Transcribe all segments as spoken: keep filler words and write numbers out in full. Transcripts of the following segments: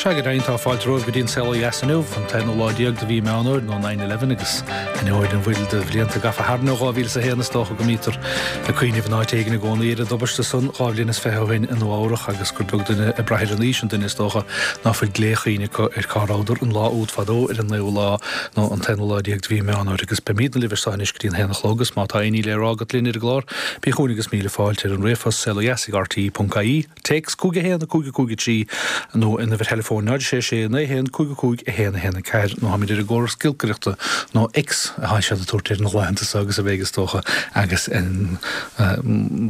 Sea, go deimhin tá fáilte romhaibh go dtí an Saol Ó Dheas inniu, an t-aonú lá déag de mhí Meán Fhómhair nó nine eleven agus ainneoin an bhfuil de bhlianta gafa tharainn ó dhá mhíle is a haon is dócha go mbítear ag cuimhneamh in áit éigin i gcónaí ar an dtubaiste san dhá bhliain is fiche ó shin i Nua Eabhrach agus gur beag duine ag brath ar an aois an duine is dócha ná fuil gléchuimhne acu ar cá rabhadar an lá úd fadó ar an naoú lá nó an t-aonú lá déag de mhí Meán Fhómhair agus beimidne libh anseo anois go dtí an haon a chlog agus má tá aon ní le rá agat linn ar an gclár bí chugainn agus míle fáilte ar an ríomhphost saolodheas ag R T E ponc I E. Téacs cúig a haon a cúig a cúig a trí nó an uimhir theileafóin náid sé sé naoi haon cúig a cúig a haon a haon a ceathair nó táimid ar an gcóras giolcaireachta nó X atá siad ag tabhairt ar na laethanta seo agus a bheidh is dócha agus an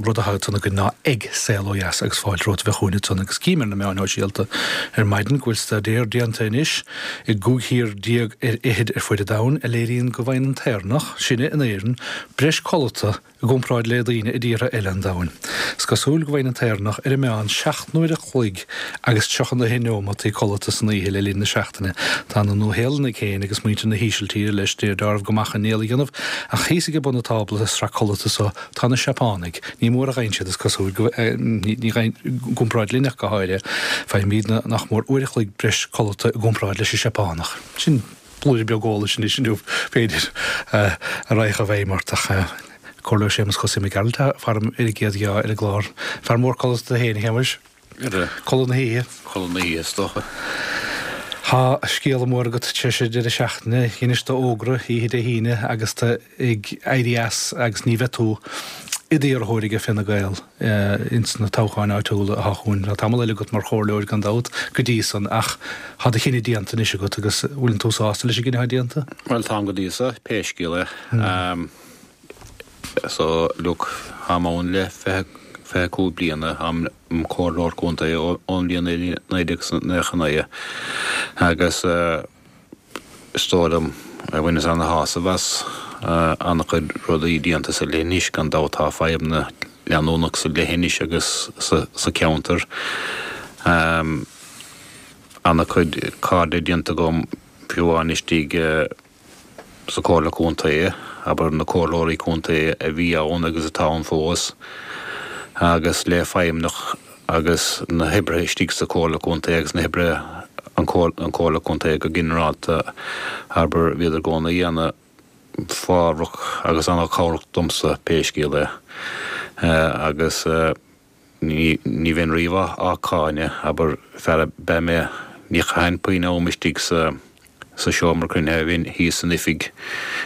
rud atá ansan againn ná ag Saol Ó Dheas agus fáilte romhat a bheith chugainn ansan agus cím ar na meáin shóisialta ar maidin go bhfuil staidéar déanta anois i gcúig thír déag ar fhichid ar fuaid an domhain a léiríonn go bhfaigheann an tÉireannach, sinne in Éirinn, breis codlata i gcomparáid le daoine i dtíortha eile an domhain. Is cosúil go bhfaigheann an tÉireannach ar an meán seacht n-uair a chloig agus tríocha a haon neomat codlata san oíche le linn na seachtaine. Tá na Nua-Shéalannaigh féin agus muintir na hÍsiltíre leis dearbh go maith chun néal a dhéanamh, ach thíos ag bun an tábla sa sraith codlata so tá na Seapánaigh. Ní mór a ghaibheann siad is cosúil go ní i gcomparáid linn ach go háirithe. Faighimidne nach mór uair a chloig breis codlata i gcomparáid leis an Seapánach. Sin blúire beag eolais anois inniu b'fhéidir a raghadh i bhfeidhm ort ach Comhairleoir Séamus Chosaí Mac Gearailt faram ar an gcéad gheá ar an gclár. Fear mór codlata féin, a Shéamais. Codladh na hoíche. Codladh na hoíche is dócha. Tá scéala mór agat tar éis deireadh seachtaine, dheinis d'fhógra oíche Dé hAoine agus tú ag éirí as agus ní bheidh tú i d'iarrthóir ag Fine Gael ins na toghcháin áitiúla atá chugainn. Tá tamall eile agat mar chomhairleoir gan dabht go dtí san ach tá do chinneadh déanta anois agat agus bhfuil tú sásta leis an gcinneadh atá déanta? Bhuel táim go dtí so, pé scéal é. So look, táim ann le fiche fiche cúig bliana, táim im chomhairleoir contae ón bhliain naoi déag nócha naoi agus is dóigh liom bhaineas ana-shásamh as an-chuid rudaí déanta sa leithinis gan dabht tá fadhbanna leanúnach sa leithinis agus sa cheantar. An-chuid cairde déanta agam fiú amháin istigh sa Chomhairle Contae, abair na comhairleoirí contae a bhí ann agus atá ann fós, agus le feidhmeannach agus na hoibrithe istigh sa Chomhairle Contae agus na hoibrithe an Chomhairle Contae go ginearálta, abair bhíodar i gcónaí ana-fhabhrach agus ana-chabhrach domsa pé scéal é. Agus ní ní bheinn riamh á cáineadh, abair fear ab ea mé, ní chaithfinn puinn am istigh sa sa seomra cruinnithe, bhínn thíos san oifig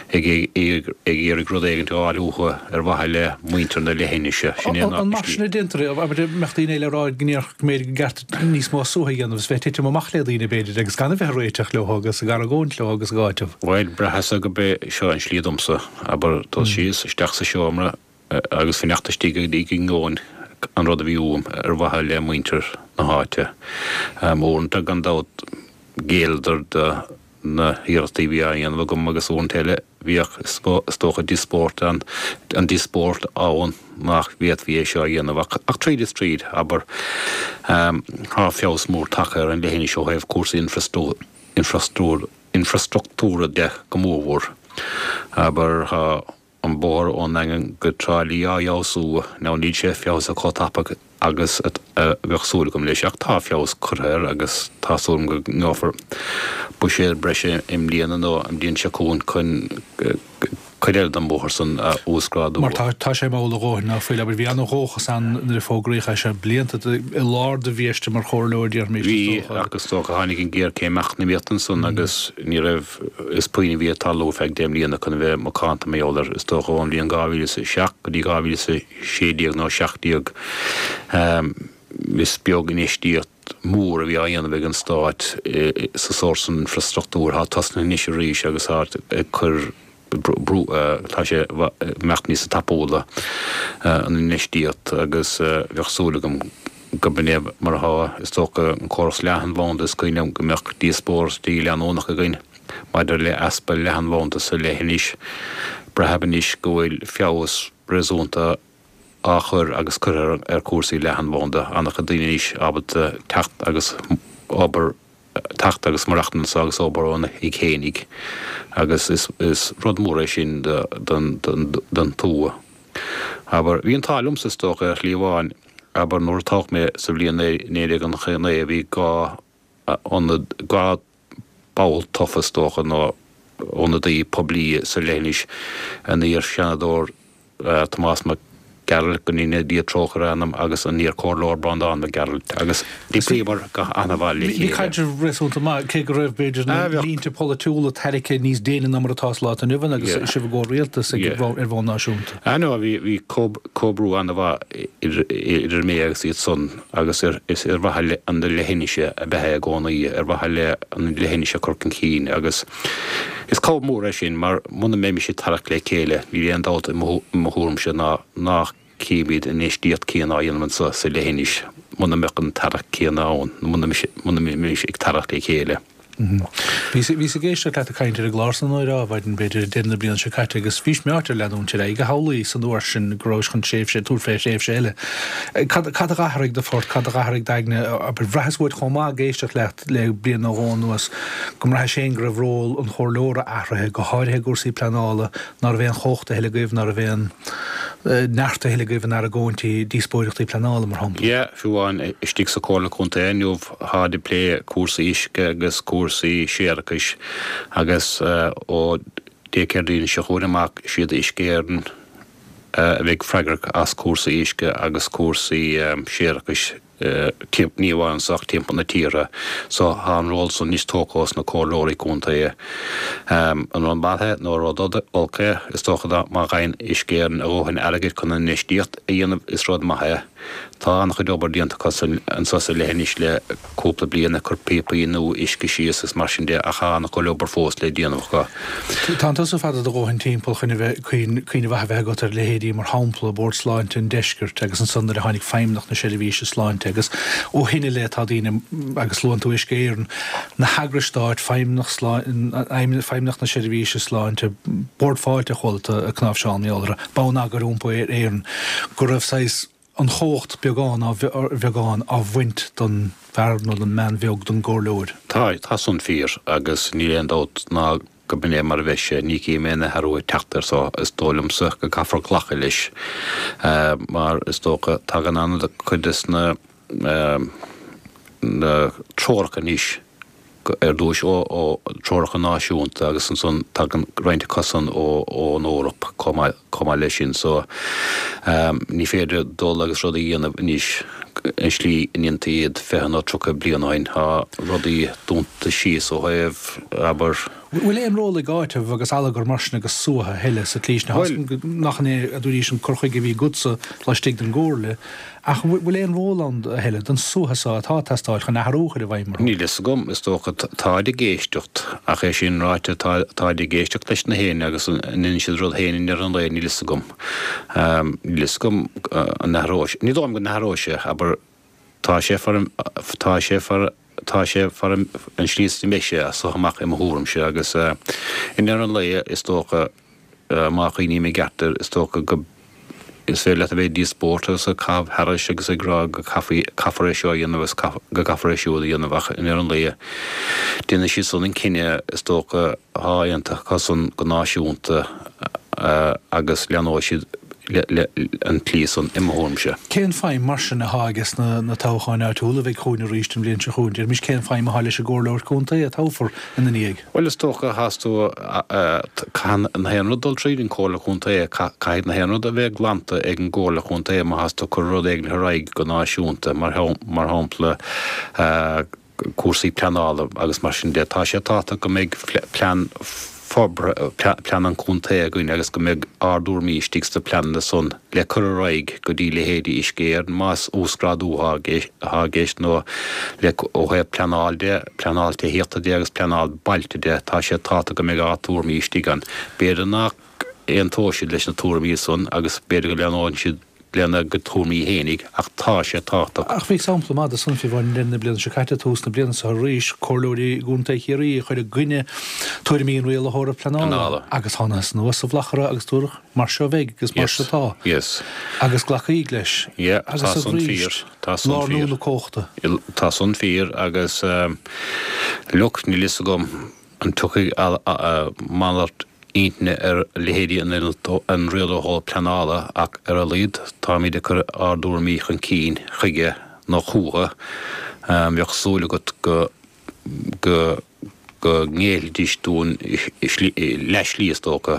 ag ag iarraidh rud éigin a fháil uathu ar mhaithe le muintir na leithinise. Sin é An mar sin a déantar é? Abair mbeadh daoine eile ag rá go ndéarfadh go mb'fhéidir go gceart níos mó suaitheadh a dhéanamh is bheith ag titim amach le daoine b'fhéidir agus gan a bheith ag réiteach leo agus ag argóint leo agus ag áiteamh. Bhuel, braitheas go b'é seo an slí domsa, abair dul síos isteach sa seomra agus fanacht istigh go dtí go ngeobhainn an rud a bhí uaim ar mhaithe le muintir na háite. Uaireanta gan dabht ghéilleadar do na hiarrachtaí a bhí á dhéanamh agam agus uaireanta eile bhíodh is dócha díospóireacht ann, an díospóireacht ann nach bhféadfaí é seo a dhéanamh ach ach tríd is tríd, abair, tá feabhas mór tagtha ar an leithinis ó thaobh cúrsaí infreastruchtúra infreastruchtúra de go mórmhór. Abair, tá an bóthar ón nDaingean go Trá Lí á fheabhsú, now níl sé feabhsaithe chomh tapa agus a bheadh súil agam leis ach tá feabhas curtha air agus tá súil agam go ngeofar buiséad breise i mbliana nó an bhliain seo chugainn chun cuid eile den bhóthar san a uasghrádú. Mar tá tá sé mall a dhóthain ná fuil, abair, bhí an-dhóchas ann nuair a fógraíodh é seo blianta i lár do bhiaiste mar chomhairleoir, déarfaimis, Bhí, ach is dócha tháinig an ghéarchéim eacnamaíochta ansan agus ní raibh, is puinn a bhí ag tarlú ar feadh deich mbliana chun a bheith macánta mar gheall air, is dócha ón bhliain dhá mhíle is a seacht go dtí dhá mhíle is a sé déag nó seacht déag. Is beag infheistíocht mhór a bhí á dhéanamh ag an Stát sa sórt san infreastruchtúr. Tá tosnaithe anois arís agus tá ag cur brú, tá sé ag imeacht níos tapúla an infheistíocht agus bheadh súil agam go b'in é mar atá. Is dócha an córas leathanbhanda, is cuimhin liom go mbeadh díospóireachtaí leanúnach againn maidir le easpa leathanbhanda sa leithinis. Braithim anois go bhfuil feabhas réasúnta á chur agus curtha ar chúrsaí leathanbhanda, an-chuid daoine anois ábalta teacht agus obair teacht agus maireachtaint anso agus obair óna dtigh fhéinig agus is is rud mór é sin don don don tuath. Abair, bhí an t-ádh liomsa is dócha ar shlí amháin, abair nuair a toghadh mé sa bhliain naoi déag nócha naoi bhí dhá ionad, dhá ball tofa is dócha nó ionadaí poiblí sa leithinis, an iar-Sheanadóir Tomás Mac Gearailt, go ndéana Dia trócaire ar a anam, agus an iar-Chomhairleoir Breandán Mac Gearailt, agus d'oibríomar go han-mhaith le Bhí chéile. caidreamh réasúnta maith, cé go raibh, b'fhéidir, na línte polaitiúla tarraicthe níos déine ná mar atá sa lá atá inniu ann agus sibh i gcomhrialtas ar bhonn náisiúnta. Ah no, bhí bhí comhoibriú an-mhaith idir mé agus iad san agus is ar mhaithe le an leithinis ab ea é i gcónaí, ar mhaithe le an leithinis a chur chun cinn agus is cabhair mhór é sin mar muna mbeimis ag tarrac le chéile níl aon dabht i mo thuairimse ná nach gcífimid an infheistíocht céanna á dhéanamh anseo sa leithinis muna mbeadh an tarrac céanna ann nó muna mbeimis ag tarrac le chéile. Bhíos ag éisteacht leat ag caint ar an gclár san ar maidin, b'fhéidir, deireadh na bliana seo caite agus bhís meáite ar leanúint ar aghaidh, a shamhlaíos an uair sin go rabhais chun tréimhse, tabhairt fé thréimhse eile. Cad a dh'athraigh do phort, cad a dh'athraigh d'aigne? Abair, bhraitheas uait chomh maith ag éisteacht leat le bliain nó dhó anuas go mbraithis féin go raibh ról an chomhairleora athraithe, go háirithe i gcúrsaí pleanála, ná raibh aon chumhacht a thuilleadh agaibh, ná raibh aon neart a thuilleadh agaibh in argóintí, díospóireachtaí pleanála, mar shampla. Yeah, fiú amháin istigh sa Chomhairle Contae inniu tháid ag plé cúrsaí uisce agus cúrsaí séarachais agus ó Dé Céadaoin seo chugainn amach siad Uisce Éireann a bheidh freagrach as cúrsaí uisce agus cúrsaí séarachais ní amháin anso ach timpeall na tíre. So tá an ról san anois tógtha ós na comhairleoirí contae. An rud maith é nó rud olc é? Is dócha má fhaigheann Uisce Éireann a dhóthain airgid chun an infheistíocht a dhéanamh is rud maith é. Tá an-chuid obair déanta acu anso sa leithinis le cúpla bliain, ag cur píopaí nua uisce síos agus mar sin de ach tá an-chuid obair fós le déanamh acu. Tánn tusa fada do dhóthain timpeall chun a bheith, cuimhne mhaith a bheith agat ar leithéidí mar shampla Bord Sláinte an Deiscirt agus ansan nuair a tháinig Feidhmeannacht na Seirbhíse Sláinte agus ó shin i leith tá daoine, agus luann tú Uisce Éireann, na heagrais stáit, Feidhmeannacht na Seirbhíse Sláinte, Bord Fáilte a chuala tú ag cnáimhseáil mar gheall orthu, Bonneagar Iompair Éireann, go raibh saghas an chumhacht beagán ar bheagán á bhaint don bhfear nó don mbean bheag, don gcomhairleoir. Tá, tá san fíor agus níl aon dabht ná go b'in é mar a bheidh sé. Ní chím aon athrú ag teacht air so is dóigh liomsa go gcaithfear glacadh leis mar is dócha tagann an-chuid des na na treoracha anois ar dtúis ó treoracha náisiúnta agus ansan tagann roinnt acusan ón Eoraip chomh maith leis sin. So ní féidir dul agus rud a dhéanamh anois an slí a ndéantaí iad fiche nó tríocha bliain ó shin. Tá rudaí dúnta síos ó thaobh, abair. Bhfuil aon ról ag áiteamh agus allagar mar sin agus suaitheadh a thuilleadh sa tslí sin? Nach in é a dúraís an cur chuige a bhí agatsa laistigh den gComhairle, ach bhfuil aon ról ann a thuilleadh don suaitheadh so atá ag teastáil chun athrú a chur i bhfeidhm orthu? Níl fhios agam. Is dócha táid ag éisteacht, ach é sin ráite, táid ag éisteacht leis na héinne agus an ndéanann siad rud féin i ndeireadh an lae, níl fhios agam. Níl fhios agam an athróidh sé. Ní dóigh liom go n-athróidh sé, abair, tá sé far, tá sé far, Tá sé far an tslí is a mbeidh sé as so amach i mo thuairimse agus i ndeireadh an lae is dócha má chuimhním i gceart air is dócha go is féidir leat a bheith ag díospóireacht agus ag caitheamh thairis agus ag rá go caithfear é seo a dhéanamh agus go gcaithfear é siúd a dhéanamh ach i ndeireadh an lae déanfaidh siad san an cinneadh is dócha atá aontaithe acu san go náisiúnta agus leanóidh siad an tslí san, i mo thuairimse. Cén feidhm, mar sin, athá aige sna na toghcháin áitiúla a bheidh chugainn arís an bhliain seo chugainn? Deirimis, cén feidhm athá leis an gcomhairleoir contae a toghfar ina ndiaidh? Bhuel, is dócha, thás tú, caithfidh na haon rud dul tríd an Chomhairle Contae, caithfidh na haon rud a bheith glanta ag an gComhairle Chontae má thás tú ag cur rud éigin ar aghaidh go náisiúnta, mar shampla, cúrsaí pleanála agus mar sin de. Tá sé tábhachtach go mbeidh plean forbartha, plean an chontae againn agus go mbeidh ár dtuairimí istigh sna pleananna san le cur ar aghaidh go dtí leithéidí Uisce Éireann más uasghrádú atá i gceist nó le ó thaobh pleanáil de, pleanáil tithíochta de agus pleanáil bailte de, tá sé tábhachtach go mbeidh ár dtuairimí istigh ann. B'fhéidir nach aontóidh siad leis na tuairimí san agus b'fhéidir go leanóidh siad lena gcuid tuairimí fhéinig, ach tá sé tábhachtach. Ach bhí sampla maith de san fiú amháin le linn na bliana seo caite, tús na bliana seo arís, comhairleoirí i gContae Chiarraí a chuir i gcoinne tuairimí an rialaitheora pleanála agus thángthas anuas sa bhladhaire agus dúradh mar seo a bheidh agus mar seo atá agus glacadh leis agus arís lárnú na cumhachta. Tá san fíor agus look, níl fhios agam an dtiocfaidh malairt intinne ar leithéidí an rialaitheora pleanála ach ar a laghad táimid ag cur ár dtuairimí chun cinn chuige nó chúthu. Bheadh súil agat go go go ngéillfidís dúinn leathshlí is dócha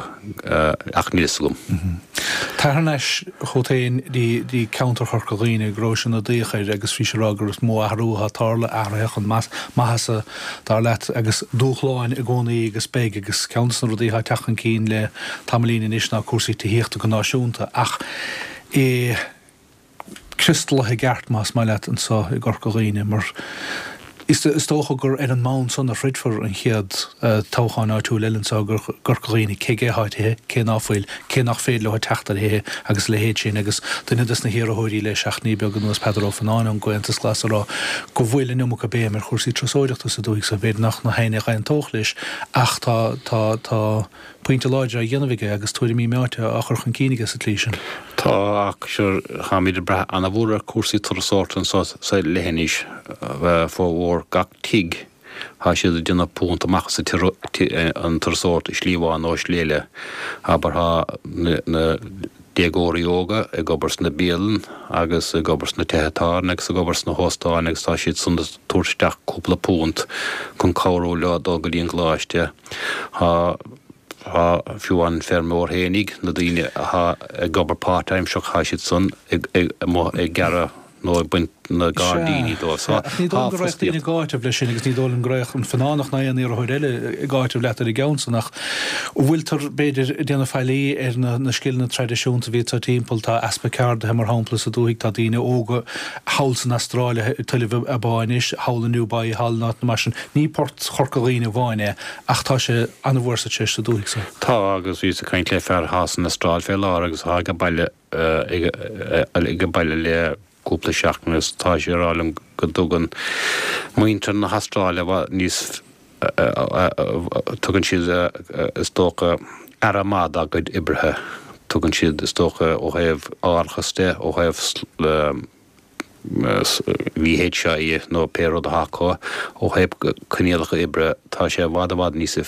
ach níl fhios agam. Tar thar n-ais chugat féin dtí ceantar Chorca Dhuibhne, go raibh sé ina dtaobh air agus bhís ag rá gur is mó athrú atá tarla, athruithe chun maitheasa dar leat agus dúshláin i gcónaí agus beidh agus ceann de na rudaí atá ag teacht chun cinn le tamaillín anois ná cúrsaí tithíochta go náisiúnta ach i criostalaithe i gceart más maith leat anseo i gCorca Dhuibhne mar is dócha gur ar an mbonn san a throidfear an chéad toghchán áitiúil eile anseo i gCorca Dhuibhne, cé aige atá tithe, cé ná fuil, cé nach féidir leo teacht ar thithe agus a leithéid sin agus duine des na hiarrthóirí le seachtainí beaga anuas, Peadar Ó Fionnáin ón gComhaontas Glas ag rá go bhfuil an iomarca béim ar chúrsaí turasóireachta sa dúthaigh so b'fhéidir nach na héinne a dh'aontódh leis ach tá, tá, tá. pointe láidir á dhéanamh aige agus tuairimí meáite á chur chun cinn aige sa tslí sin. Tá, ach sure, táimid ag brath ana-mhór ar chúrsaí turasóireachta anseo sa leithinis, formhór gach tigh, tá siad ag déanamh punt amach as an turasóireacht i slí amháin nó i slí eile. Abair, tá na déagóirí óga ag obair sna bialann agus ag obair sna tithe tábhairne agus ag obair sna hóstáin agus tá siad san ag tabhairt isteach cúpla punt chun cabhrú leo dul go dtí an gcoláiste. Tá. Tá fiú an feirmeoir fhéinig, na daoine athá ag obair páirtaimseach, thá siad san amuigh ag gearradh nó ag baint na gairdíní dóibh. So, Ach ní dóigh liom go raghadh daoine ag áiteamh leis sin agus ní dóigh liom go raghadh an Fionnánach ná aon iarrthóir eile ag áiteamh leat ar an gceann san ach bhfuiltear, b'fhéidir, ag déanamh faillí ar na scileanna traidisiúnta a bhí anseo timpeall. Tá easpa ceardaithe, mar shampla, sa dúthaigh. Tá daoine óga thall san Astráil ag tuilleamh a bpá anois, thall i nDubai, thall in áiteanna mar sin. Ní port Chorca Dhuibhne amháin é ach tá sé an-mhór sa treis sa dúthaigh so. Tá, agus bhíos ag caint le fear athá san Astráil fé láthair agus athá ag baile ag baile le cúpla seachtain agus tá sé ag rá liom go dtugann muintir na hAstráile i bhfad níos tugann siad is dócha aire maith dá gcuid oibrithe, tugann siad is dócha ó thaobh árachas de, ó thaobh VHI nó pé rud atá acu, ó thaobh coinníollacha oibre, tá sé i bhfad i bhfad níos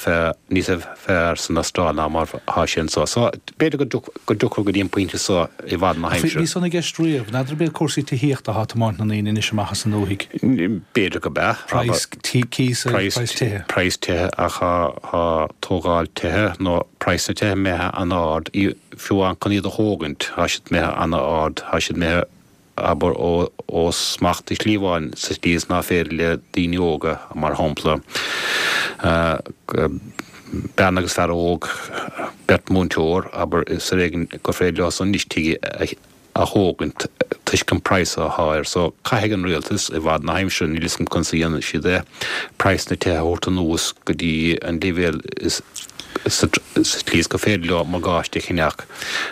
níos fearr san Astráil ná mar atá sé anseo. So, b'fhéidir go dtiocfar go dtí an pointe so i bhfad na haimsire. Bhí san i gceist riamh. N'fheadar ab iad cúrsaí tithíochta atá ag tiomáint na ndaoine anois amach as an ndúthaigh. B'fhéidir go b'ea. Praghas cíosa, praghas tithe. Praghas tithe ach tá tógáil tithe nó praghas na tithe imithe an-ard, fiú amháin chun iad a thógaint, tá siad imithe an-ard, tá siad imithe abair, ó smacht i slí amháin sa tslí is ná féidir le daoine óga, mar shampla, bean agus fear óg, beirt múinteoir, abair, is ar éigean gur féidir leo san anois tigh a thógaint toisc an praghas athá air. So, caithfidh an rialtas, i bhfad na haimsire, níl 'fhios a'm conas a dhéanfaidh siad é, praghas na tithe a thabhairt anuas go dtí an leibhéal is sa tslí is gur féidir leo morgáiste a cheannach.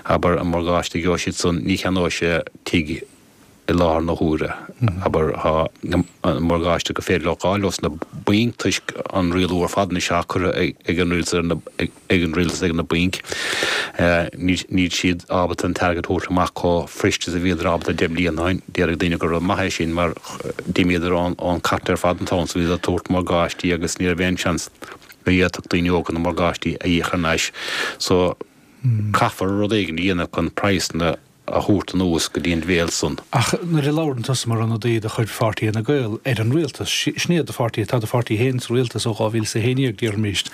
Abair, an morgáiste a gheobhaidh siad san, ní cheannóidh sé tigh i láthair na huaire. Abair, tá an morgáiste gur féidir leo a fháil ós na bainc toisc an rialú ar fad anois atá curtha ag an rialtas ar na, ag an rialtas ag na bainc. Níl siad ábalta an t-airgead a thabhairt amach chomh fuirist is a bhíodar ábalta deich mbliana ó shin. Déarfadh daoine gur rud maith é sin mar d'imíodar ón cairt ar fad an t-am so bhíodar ag tabhairt morgáistí agus ní raibh aon seans go bhféadfadh daoine óga na morgáistí a íoc thar n-ais. So, caithfear rud éigin a dhéanamh chun praghsanna a thabhairt anuas go dtí an leibhéal san. Ach nuair a labhrann tusa mar ionadaí de chuid pháirtí Fhine Gael ar an rialtas, sin iad do pháirtí, tá do pháirtí féin sa rialtas ó dhá mhíle is a haon déag, déarfaimis,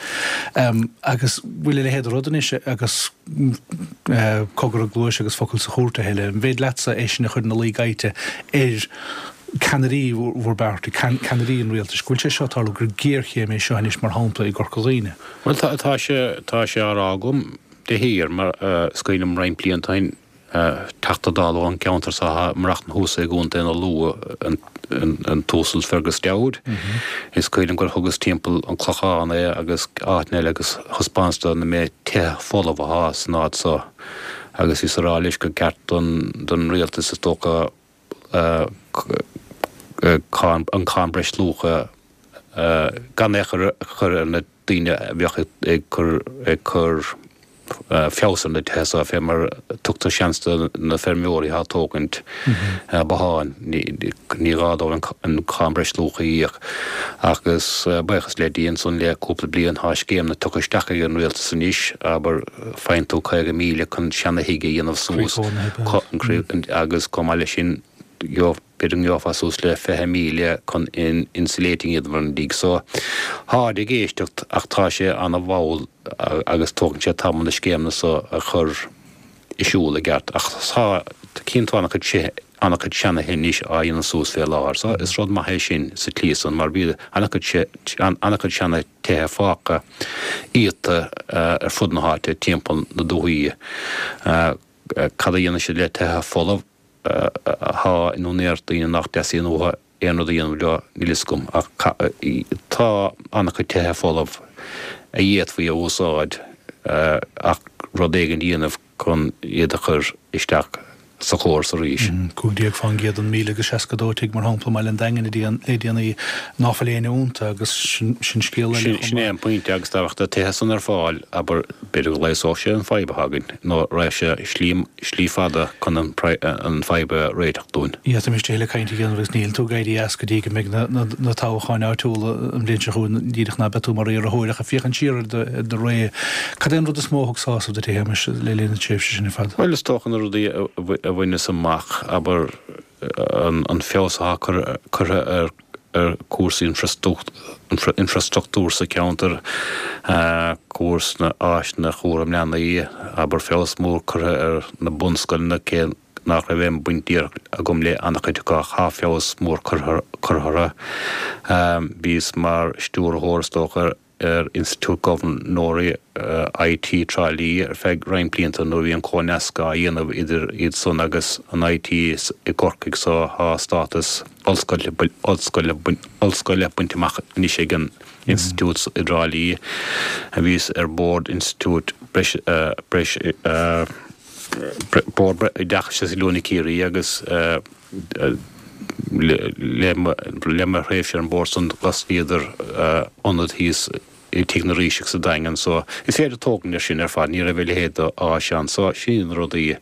agus bhfuil a leithéid de rud anois agus cogar i gcluais agus focal sa chúirt a thuilleadh. An féidir leatsa é sin a chur ina luí gaibhte ar ceannairí bhur bpáirtí, ceannairí an rialtais, go bhfuil sé seo ag tarlú, gur géarchéim é seo anois, mar shampla, i gCorca Dhuibhne? Bhuel, tá sé, tá sé á rá agam de shíor, mar is cuimhin liom roinnt blianta ó shin, Teachta Dála ón gceantar seo atá ag maireachtaint thuas i gContae na Lú, an tUasal Fergus Dowd. Is cuimhin liom gur thugas timpeall an Clochán é agus áiteanna eile agus thaispeánas dó na méid tithe folamh athá san áit seo agus bhíos ag rá leis gur ceart don rialtas is dócha an cáin breisluacha gan é a chur ar na daoine a bheadh ag cur ag cur feabhas ar na tithe seo fé mar tugtar seans do na feirmeoirí atá ag tógaint botháin ní gá dóibh an cáin breisluacha a íoc agus buíochas le Dia ansan le cúpla bliain tá scéimeanna tugtha isteach ag an rialtas anois abair faigheann tú caoga míle chun seana thigh a dhéanamh suas agus chomh maith leis sin gheobhaidh b'fhéidir go ngeofá suas le fiche míle chun insulating a dhéanamh ar an dtigh. So tháid ag éisteacht ach tá sé ana-mhall agus tógann sé tamall na scéimeanna so a chur i siúl i gceart. Ach tá cinn tá an-chuid an-chuid seanatithe anois á dhéanamh suas fé láthair. So is rud maith é sin sa tslí san mar bhí an-chuid an-chuid seanatithe fágtha iata ar fud na háite timpeall na dúthaí. Cad a dhéanann siad le tithe folamh atá in úinéireacht daoine nach dteastaíonn uathu aon rud a dhéanamh leo, níl fhios agam, ach tá an-chuid tithe folamh a d'fhéadfaí a úsáid ach rud éigin a dhéanamh chun iad a chur isteach sa chóras arís. Cúig déag fán gcéad den míle agus seasca dó tigh, mar shampla, i mbaile an Daingin le déanaí ná fuil éinne iontu agus sin scéal eile chomh maith. Sin é an pointe agus dá mbeadh na tithe san ar fáil, abair, b'fhéidir go leigheasódh sé an fadhb atá againn nó raghadh sé slí, slí fada chun an fadhb a réiteach dúinn. D'fhéadfaimis tuilleadh cainte a dhéanamh agus níl tú ag éirí as go dtí go mbeidh na toghcháin áitiúla an bhliain seo chugainn, díreach ná beidh tú mar iarrthóir ach ag féachaint siar ar do ré, cad é an rud is mó a thug sásamh duit, a Shéamais, le linn na tréimhse sin ar fad? Bhuel, is dócha na rudaí a bhaineas amach, abair, an feabhas atá curtha ar ar chúrsaí infreastruchtúir sa cheantar, cúrsaí áiseanna chúram leanaí, abair, feabhas mór curtha ar na bunscoileanna, cé nach raibh aon bhaint díreach agam le an-chuid acu ach tá feabhas mór curtha orthu. Bhíos mar stiúrthóir, is dócha, ar Institiúid Gobharnóirí IT Trá Lí ar feadh roinnt blianta nuair a bhí an comhnasc á dhéanamh idir iad san agus an IT i gCorcaigh so tá stádas ollscoile ollscoile bainte amach anois ag an Institiúid i dTrá Lí. Bhíos ar bhord Institiúid Breis Breis Bord Oideachais agus Oiliúna Ciarraí agus Le mo thréimhse ar an mbord san d'osclaíodar ionad thíos i Tigh na Ríseach sa Daingean so is féidir tógaint ar sin ar fad, ní raibh a leithéid d'áis ann so sin iad na rudaí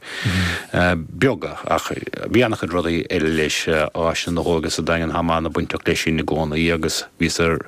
beaga ach bhí an-chuid rudaí eile leis, áiseanna na hóige sa Daingean, táim an-bhainteach leis sin i gcónaí agus bhíos ar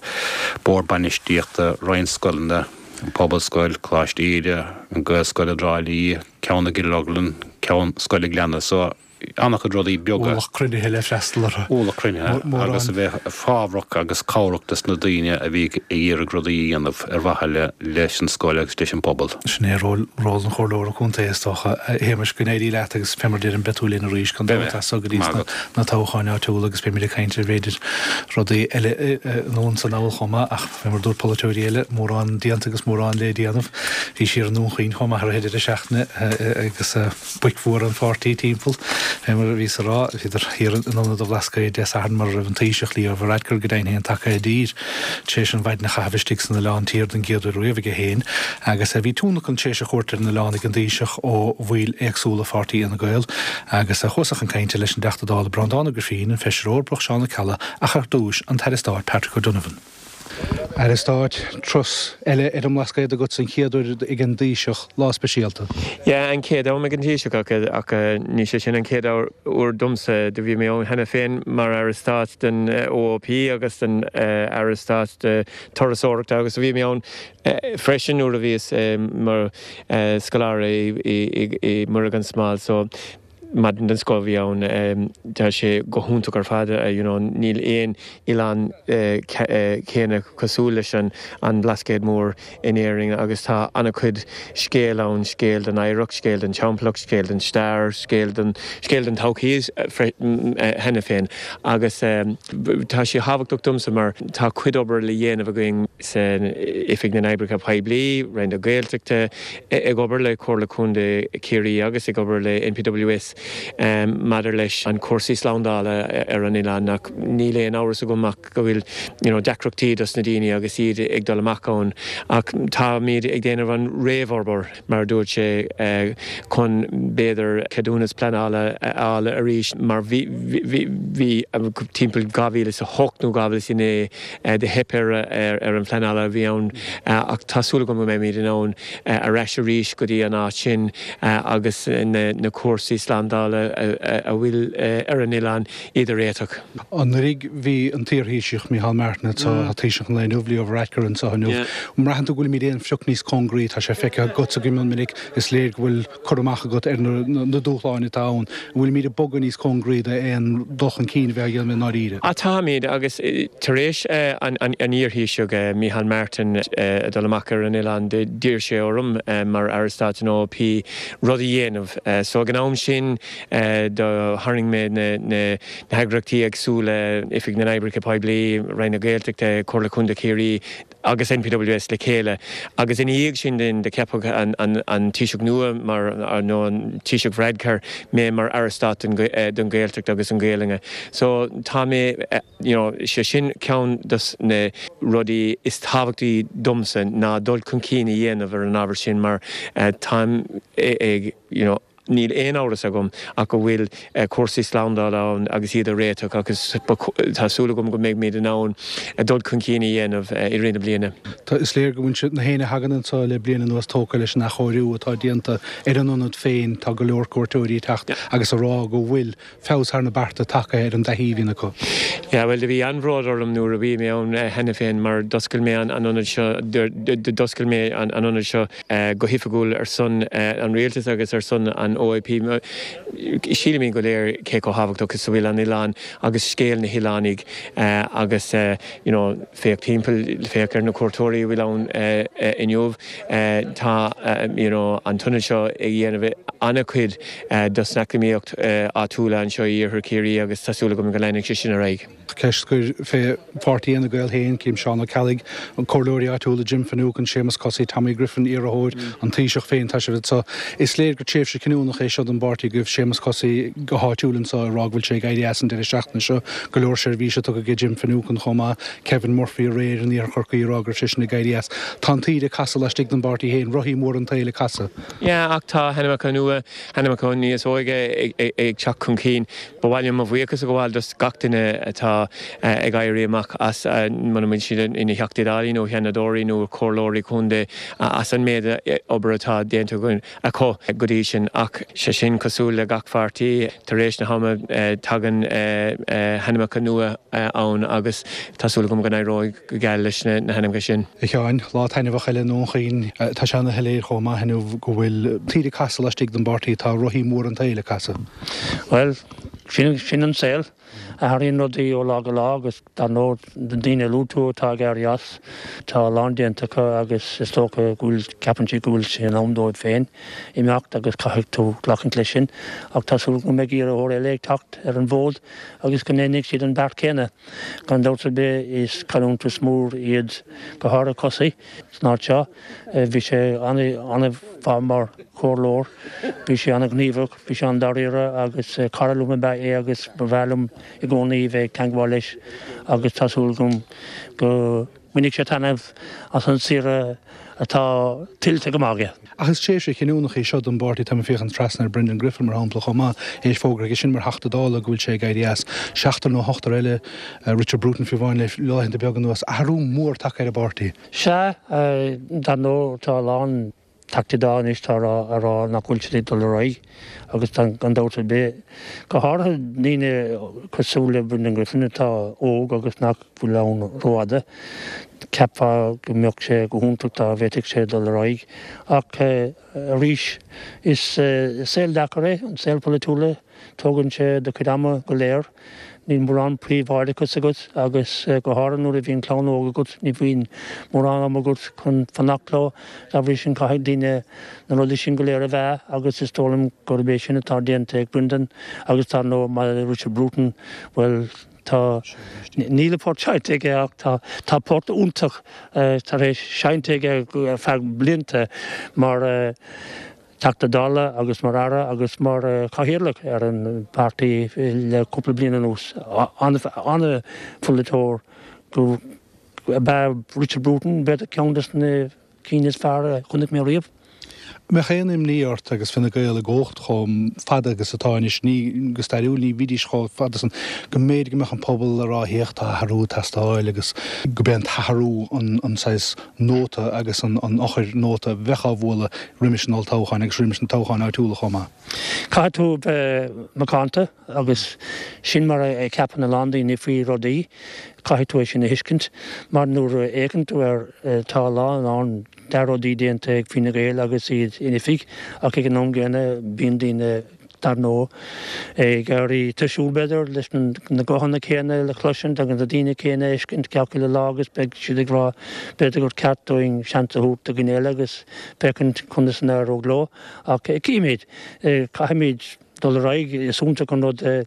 bhord bainistíochta roinnt scoileanna, an Pobalscoil, Coláiste Íde, an Ghaelscoil i dTrá Lí, ceann i gCill Orglan, ceann Scoil an Ghleanna so an-chuid rudaí beaga. Ualach cruinnithe le freastal orthu. Ualach cruinnithe agus a bheith fábhrach agus cabhrach dos na daoine a bhí ag iarraidh rudaí a dhéanamh ar mhaithe leis an scoil agus leis an bpobal. Sin é ról an chomhairleora contae is dócha. A Shéamais, go n-éirí leat agus fé mar deirim beidh tú linn arís gan dabht as so go dtí na toghcháin áitiúla agus beimid ag caint ar b'fhéidir rudaí eile anonn is anall chomh maith ach fé mar dúirt polaiteoirí eile, mórán déanta agus mórán le déanamh. Bhís thiar i nDún Chaoin chomh maith ar an deireadh seachtaine agus boic mhóra an pháirtí timpeall. Fé mar a bhíos a rá, bhíodar thiar in Ionad an Bhlascaoid Dé Sathairn mar a raibh an Taoiseach Leo Varadkar go deimhin féin tagtha i dtír tar éis an mhaidin a chaitheamh istigh san Oileán Tiar den gcéad uair riamh aige féin agus bhí tionlacan tar éis a thabhairt ar an oileán ag an Taoiseach ó bhaill éagsúla pháirtí Fhine Gael agus chuas chun cainte leis an dTeachta Dála Breandán Ó Grifín, an Feisire Eorpach Seán Ó Ceallaigh ach ar dtúis an tAire Stáit Patrick O'Donovan. Aire Stáit, turas eile ar an mBlascaod agat an chéad uair ag an dTaoiseach, lá speisialta. Yeah, an chéad am ag an Taoiseach ach ach ní sé sin an chéad uair domsa. Do bhí mé ann cheana féin mar Aire Stáit den OOP agus den Aire Stáit de Turasóireachta agus bhí mé ann freisin nuair a bhíos mar scoláire i i Muire gan Smál so Maidin den scoth a bhí ann. Tá sé go hiontach ar fad, you know, níl aon oileán céanna cosúil leis an an Blascaod Mór in Éirinn agus tá an-chuid scéal ann, scéal den oidhreacht, scéal den timpeallacht, scéal den stair, scéal den scéal den todhchaí cheana féin agus tá sé thábhachtach domsa mar tá cuid obair le dhéanamh againn san Oifig na nOibreacha Poiblí, Roinn na Gaeltachta, ag obair le Comhairle Contae Chiarraí agus ag obair le NPWS maidir leis an cúrsaí slándála ar an oileán ach níl aon amhras agam ach go bhfuil you know deacrachtaí dos na daoine agus iad ag dul amach ann ach táimid ag déanamh an réamhobair mar a dúirt sé chun b'fhéidir ceadúnas pleanála a fháil arís mar bhí bhí bhí timpeall dhá mhíle is a hocht nó dhá mhíle is a naoi do theip ar ar an phleanála a bhí ann ach tá súil agam go mbeimid in ann ar ais arís go dtí an áit sin agus na cúrsaí slándála slándála a bhfuil ar an oileán iad a réiteach. Anuraidh bhí an t-iarThaoiseach Micheál Martin anseo, tá Taoiseach an lae inniu, Leo Varadkar anseo inniu. An mbraitheann tú go bhfuilimid aon phioc níos cóngaraí? Tá sé feicthe agatsa go mion minic, is léir go bhfuil cur amach agat ar na dúshláin atá ann. An bhfuilimid ag bogadh níos cóngaraí d'aon dul chun cinn a bheith á dhéanamh i ndáiríre? Á táimid, agus tar éis an iarThaoisigh Micheál Martin a dul amach ar an oileán d'iarr sé orm mar Aire Stáit an OOP rud a dhéanamh. So ag an am sin do tharraing mé na heagraíochtaí éagsúla, Oifig na nOibreacha Poiblí, Roinn na Gaeltachta, Comhairle Contae Chiarraí agus NPWS le chéile agus ina dhiaidh sin din do ceapadh an Taoiseach nua mar nó an Taoiseach Varadkar mé mar Aire Stáit don Ghaeltacht agus an Ghaelainn. So tá mé you know sé sin ceann dos na rudaí is tábhachtaí domsa ná dul chun cinn a dhéanamh ar an ábhar sin mar táim ag you know níl aon amhras agam ach go bhfuil cúrsaí slándála ann agus iad a réiteach agus tá súil agam go mbeimid in ann dul chun cinn a dhéanamh i rith na bliana. Tá, is léir go bhfuil siad, na héinne a thagann anseo le bliain anuas tógtha leis an athchóiriú atá déanta ar an ionad féin. Tá go leor cuairteoirí ag teacht agus ag rá go bhfuil feabhas thar na bearta tagtha ar an dtaithí a bhíonn acu. Yeah, bhuel, do bhí an-bhród orm nuair a bhí mé ann cheana féin mar d'oscail mé an ionad seo, d'oscail mé an ionad seo go hoifigiúil ar son an rialtais agus ar son an OIP. Sílimid go léir cé chomh thábhachtach is a bhfuil an oileán agus scéal na hoileánaigh agus you know féach timpeall, féach ar na cuairteoirí a bhfuil ann inniu. Tá you know an t-ionad seo ag dhéanamh an-chuid dos an eacnamaíocht áitiúla anseo i Iarthar Chiarraí agus tá súil agam go leanfaidh sé sin ar aghaidh. Ceist gur fé pháirtí Fhine Gael féin, cím Seán Ó Ceallaigh, an comhairleoirí áitiúla Jim Finucane, Séamus Cossey, Tommy Griffin, iarrthóir an Taoiseach féin, tá sibh anseo. Is léir gur tréimhse chinniúnach é seo don bpáirtí agaibh, Séamus Cossey go háitiúil anseo ag rá go bhfuil sé ag éirí as an deireadh seachtaine seo, go leor seirbhíse tugtha aige Jim Finucane chomh maith, Kevin Murphy aréir in Iarthar Chorcaí ag rá go raibh seisean ag éirí as. Tá an taoide ag casadh laistigh den bpáirtí féin, rothaí móra an tsaoil ag casadh. Yeah, ach tá hainmneacha nua, hainmneacha níos óige ag teacht chun cinn. Ba mhaith liom mo bhuíochas a ghabháil dos gach duine atá ag éirí amach as, muna bhfuil siad ina Theachtaí Dála nó Sheanadóirí nó Comhairleoirí Contae, as an méid obair atá déanta acu go dtí sin. Ach sé sin cosúil le gach pháirtí, tar éis na hama tagann hainmneacha nua ann agus tá súil agam go n-éireoidh go geal leis na hainmneacha sin. A Sheáin, lá taitneamhach eile i nDún Chaoin. Tá sé ana-shoiléir chomh maith inniu go bhfuil taoide ag casadh laistigh den bpáirtí, tá rothaí móra an tsaoil ag casadh. Bhuel, sin, sin an saol. Athraíonn rudaí ó lá go lá agus dar ndóigh na daoine a luaigh tú atá ag éirí as, tá a lán déanta acu agus is dócha go bhfuil, ceapann siad go bhfuil sé in am dóibh féin imeacht agus caithfidh tú glacaint leis sin. Ach tá súil agam go mbeidh iarrthóir eile ag teacht ar an bhfód agus go ndéanfaidh siad an beart céanna. Gan dabht ar bith is cailliúntas mór iad go háirithe Cossey san áit seo. Bhí sé an-mhaith mar chomhairleoir, bhí sé an-ghníomhach, bhí sé an-dáiríre agus cara liom ab ea é agus ba bhreá liom i gcónaí bheith ag teangmháil leis agus tá súil agam go mbainfidh sé taitneamh as an saoire atá tuillte go maith aige. Ach is tréimhse chinniúnach í seo don bpáirtí, táim ag féachaint trasna ar Brendan Griffin mar shampla chomh maith, é fógartha aige sin mar Theachta Dála go bhfuil sé ag éirí as. Seachtar nó ochtar eile, Richard Bruton fiú amháin le laethanta beaga anuas. Athrú mór tagtha ar an bpáirtí. Sea, dar ndóigh tá a lán Teachtaí Dála anois atá a rá nach bhfuil siad ag dul ar aghaidh agus gan dabht ar bith, go háirithe daoine cosúil le Brendan Griffin atá óg agus nach bhfuil ann rófhada, cheapfá go mbeadh sé go hiontach dá bhféadfadh sé dul ar aghaidh. Ach arís, is saol deacair é an saol polaitiúil. Tógann sé do chuid ama go léir. Níl mórán príobháideachas agat agus go háirithe nuair a bhíonn clann óg agat ní bhíonn mórán ama agat chun fanacht leo. Dá bhrí sin caithfidh daoine na rudaí sin go léir a mheá agus is dóigh liom gurb é sin atá déanta ag Brendan agus dar ndóigh maidir le Richard Bruton, bhuel tá, níl a phort seinnte aige ach tá, tá port iontach tar éis seinnte aige ar feadh blianta mar Teachta Dála agus mar Aire agus mar Chathaoirleach ar an bpáirtí le cúpla bliain anuas. An-pholaiteoir ab ea Richard Bruton, b'fhéidir ceann de na cinn is fearr a chonaic mé riamh. Mbeadh aon imní ort agus Fine Gael i gcumhacht chomh fada agus atá anois, ní go stairiúil, ní bhídís chomh fada san, go mb'fhéidir go mbeadh an pobal ag rá féach tá athrú ag teastáil agus go b'é an t-athrú an saghas nóta agus an eochair nóta a bheadh á bhualadh roimis an olltoghchán agus roimis na toghcháin áitiúla chomh maith. Caithfidh tú bheith macánta agus sin mar a cheapann a lán daoine faoi rudaí, caithfidh tú é sin a thuiscint mar nuair a fhéachann tú air tá a lán ann dea-rudaí déanta ag Fine Gael agus iad in oifig ach ag an am gcéanna bíonn daoine dar ndóigh ag éirí tuirsiúil b'fhéidir leis na guthanna céanna le cloisint agus na daoine céanna a fheiscint gach uile lá agus beidh siad ag rá b'fhéidir gur ceart dúinn seans a thabhairt do dhuine eile agus féachaint conas a n-éireoidh leo ach cífimid, caithfimid dul ar aghaidh, is iontach an rud é.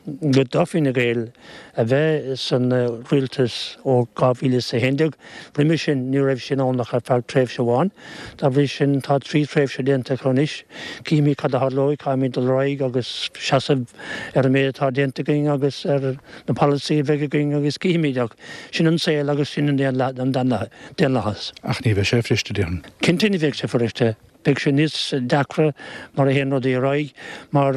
do Fine Gael a bheith san rialtas ó dhá mhíle is a haon déag. Roimhe sin ní raibh sin ann ach ar feadh tréimhse amháin. Dá bhrí sin tá trí thréimhse déanta acu anois. Cífimid cad a tharlóidh, caithfimid dul ar aghaidh agus seasamh ar an méid atá déanta againn agus ar na polasaithe a bheidh againn agus cífimid ach sin an saol agus sin an daonlathas. Ach ní bheidh sé fuiriste, déarfainn. Cinnte ní bheidh sé fuiriste. Beidh sé níos deacra mar a théann rudaí ar aghaidh mar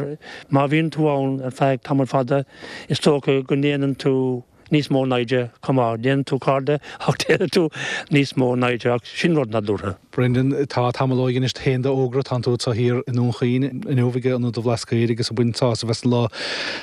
má bhíonn tú ann ar feadh tamall fada is dócha go ndéanann tú níos mó naimhde chomh maith. Déanann tú cairde ach déanann tú níos mó naimhde ach sin rud nádúrtha. Brendan, tá tamall ó dheinis féin d'fhógra, tánn tú anseo thiar i nDún Chaoin inniu ag Ionad an Bhlascaoid agus ag baint sásamh as an lá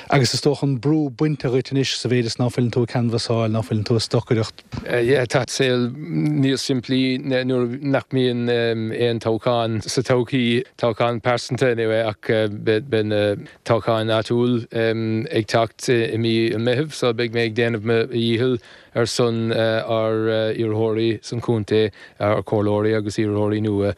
agus is dócha an brú bainte dhuit anois sa mhéid is ná fuileann tú ag canbhasáil, ná fuileann tú ag stocaireacht. Yeah, tá saol níos simplí nuair nach mbíonn aon toghchán sa todhchaí, toghchán pearsanta anyway, ach beidh na toghcháin áitiúil ag teacht i mí an Mheithimh so beidh mé ag déanamh mo dhícheall ar son ár iarrthóirí san chontae, ár comhairleoirí agus iarrthóirí nua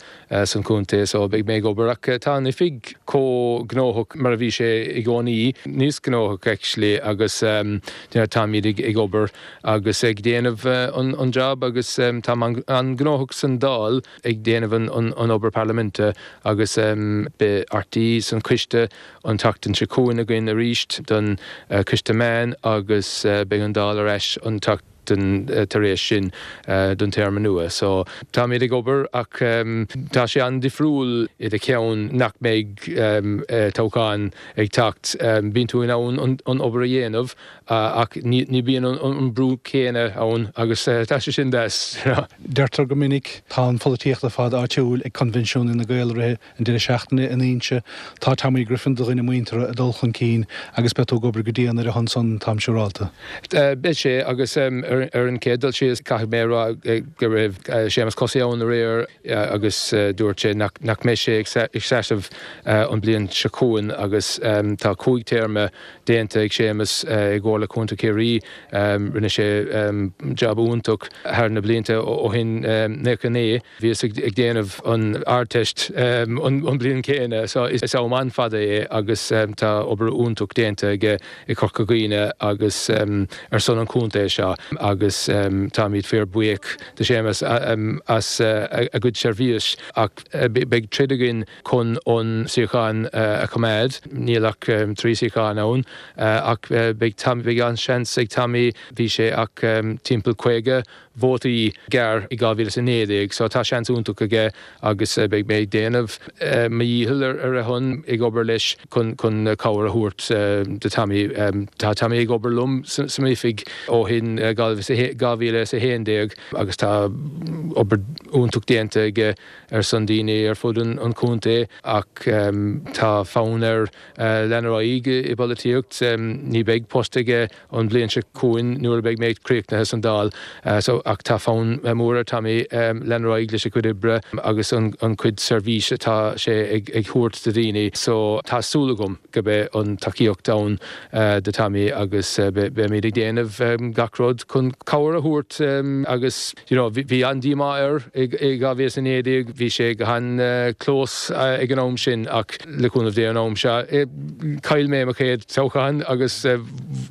san chontae so beidh mé ag obair ach tá an oifig chomh gnóthach mar a bhí sé i gcónaí, níos gnóthach actually agus táimid ag obair agus ag déanamh an job agus táim an-ghnóthach san Dáil ag déanamh an obair parlaiminte agus beidh Artí san coiste an tseachtain seo chugainn againn arís don coiste meán agus beidh an Dáil ar ais an tseachtain tar éis sin don téarma nua. So táimid ag obair ach tá sé an-difriúil i do cheann nach mbeidh toghchán ag teacht. Bíonn tú in ann an obair a dhéanamh ach ní bhíonn an brú céanna ann agus tá sé sin deas. Deirtear go minic, tá an pholaitíocht ar fad áitiúil ag Coinbhinsiún Fhine Gael i rith an deireadh seachtaine in Inse. Tá Tommy Griffin, do dhuine muinteartha, ag dul chun cinn agus beidh tú ag obair go dian ar a shon san, táim siúrálta. Beidh sé agus ar an chéad dul síos caithfidh mé a rá go raibh Séamus Cosaí ann aréir agus dúirt sé nach mbeidh sé ag seasamh an bliain seo chugainn agus tá cúig téarma déanta ag Séamus i gComhairle Contae Chiarraí. Rinne sé jab iontach thar na blianta ó shin naocha naoi. Bhíos ag déanamh an Ardteist an bliain céanna so is am an-fhada é agus tá obair iontach déanta aige i Corca Dhuibhne agus ar son an chontae seo agus táimid fíor buíoch de Séamus as a gcuid seirbhís ach beidh troid againn chun an suíochán a choimeád. Níl ach trí suíochán ann ach beidh beidh an-seans ag Tommy, bhí sé ach timpeall caoga vótaí gearr i dhá mhíle is a naoi déag so tá seans iontach aige agus beidh mé ag déanamh mo dhícheall ar a shon, ag obair leis chun chun cabhair a thabhairt do Tommy. Tá Tommy ag obair liom san oifig ó shin dhá mhíle is a haon déag agus tá obair iontach déanta aige ar son daoine ar fud an chontae ach tá fonn air lean ar aghaidh i bpolaitíocht. Ní bheidh post aige an bhliain seo chugainn nuair a bheidh mé críochnaithe san Dáil so ach tá fonn mór ar Tommy lean ar aghaidh leis a chuid oibre agus an chuid seirbhís atá sé ag thabhairt do dhaoine so tá súil agam go mbeidh an tacaíocht ann do Tommy agus beimid ag déanamh gach rud chun cabhair a thabhairt agus you know bhí an-díomá air i dhá mhíle is a naoi déag, bhí sé go han-close ag an am sin ach le cúnamh Dé an am seo chaill mé mo chéad toghchán agus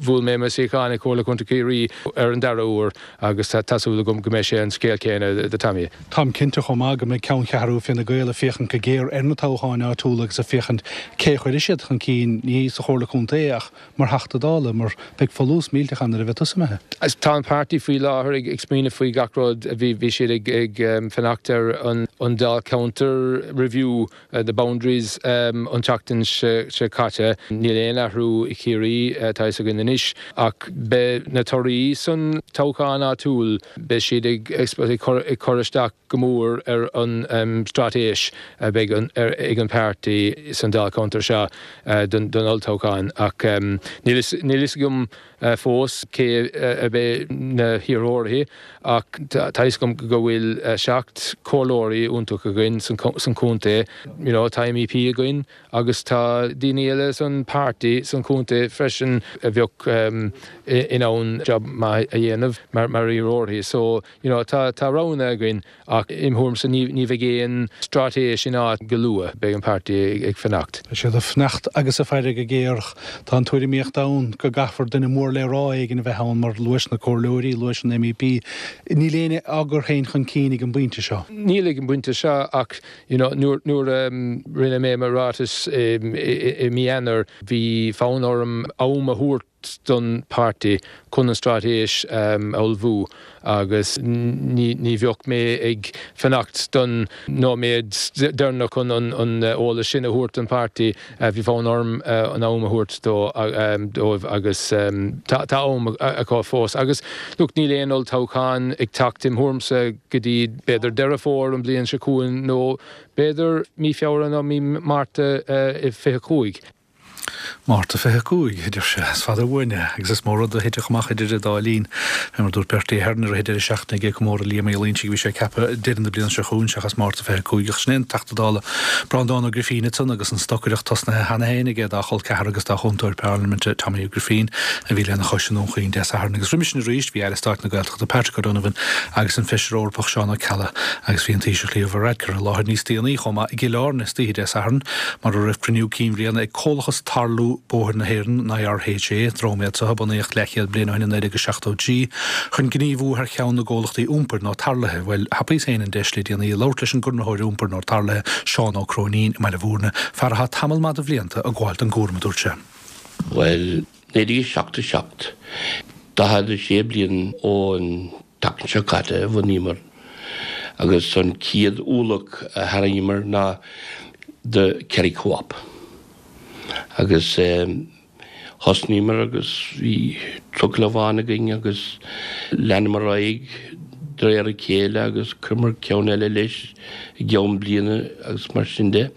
Bhuail mé mo suíochán i Comhairle Contae Chiarraí ar an dara huair agus tá súil agam go mbeidh sé an scéal céanna do Tommy. Táim cinnte chomh maith go mbeidh ceanncheathrú Fine Gael ag féachaint go géar ar na toghcháin áitiúla agus ag féachaint cé a chuirfidh siad chun cinn, ní sa Chomhairle Contae ach mar Theachta Dála, mar beidh folús millteach ann nuair a bheidh tusa imithe. Tá an páirtí faoi láthair ag smaoineamh faoi gach rud. Bhí bhí siad ag ag fanacht ar an an Dáilcheantar review, the boundaries an tseachtain seo caite. Níl aon athrú i Chiarraí, tá fhios againn anois, ach beidh na torthaí san toghchán áitiúil, beidh siad ag ag cur ag cur isteach go mór ar an straitéis a bheidh ag an páirtí san Dáilcheantar seo don don olltoghchán. Ach níl níl fhios agam fós cé a bheidh na hiarrthóirí ach tá fhios agam go bhfuil seacht comhairleoirí iontach againn san chontae. You know, tá M E P againn agus tá daoine eile san páirtí san chontae freisin a bheadh in ann job maith a dhéanamh mar mar iarrthóirí. So you know, tá tá roghanna againn ach im thuairimse ní ní bheidh aon straitéis in áit go luath, beidh an páirtí ag fanacht. Beidh siad ag fanacht agus ag faire go géar. Tá an tuairimíocht ann go gcaithfear duine mór le rá éigin a bheith ann mar luais na comhairleoirí, luais an M E P. Níl éinne á gcur féin chun cinn ag an bpointe seo. Níl ag an bpointe seo ach you know, nuair nuair um, rinne mé mo ráiteas i mí Eanáir, bhí fonn orm am a thabhairt don páirtí chun an straitéis um, a ullmhú agus ní, ní bheadh mé ag fanacht don nóiméad deireanach chun an, an eolas sin a thabhairt don páirtí. uh, bhí fonn orm uh, an am a thabhairt dó um, dóibh agus um, tá am acu fós. Agus look, níl aon olltoghchán ag teacht im thuairimse go dtí b'fhéidir Deireadh Fómhair an bliain seo chugainn nó b'fhéidir mí Feabhra nó mí Márta uh, fiche cúig. Márta fiche cúig, idir sé is fada uainne agus is mór rud a thitfeadh amach idir an dá linn. Mar dúirt Bertie Ahern ar a deireadh seachtaine ag comóradh Liam Uí Loingsigh, bhí sé ceaptha deireadh na bliana seo chugainn seachas Márta fiche cúig ach sin Teachta Dála Breandán Ó Grifín ansan agus an stocaireacht tosnaithe cheana féin aige dá chol ceathar agus dá chúntóir parlaiminte Tommy Ó Grifín a bhí lena chois i nDún Chaoin Dé Sathairn agus roimhe sin arís bhí Aire Stáit na Gaeltachta Patrick O'Donovan agus an Feisire Eorpach Seán Ó Ceallaigh agus bhí an Taoiseach Leo Varadkar i láthair níos déanaí chomh maith i gCill Airne istoíche Dé Sathairn mar a raibh cruinniú cinn bhliana ag Comhlachas Tarlú Bóthair na hÉireann an I R H A, dream iad seo a bunaíodh leathchéad bliain ó shin in naoi déag seachtó trí chun gníomhú thar cheann na gcomhlachtaí iompair nó tarlaithe. Bhuel, thapaíos féin an deis le déanaí labhairt leis an gconraitheoir iompair nó tarlaithe Seán Ó Cróinín i mBaile Bhúirne, fear atá tamall maith de bhlianta ag gabháil don gcúram, a dúirt sé. Well, naoi déag seachtó seacht, daichead a sé bliain ón tseachtain seo caite a bhunaíomar agus an chéad ualach a tharraingíomar ná the Kerry Co-op. Agus um, thosnaíomar agus bhí trucail amháin againn agus leanamar ar aghaidh de réir a chéile agus chuireamar ceann eile leis i gceann bliana agus mar sin de.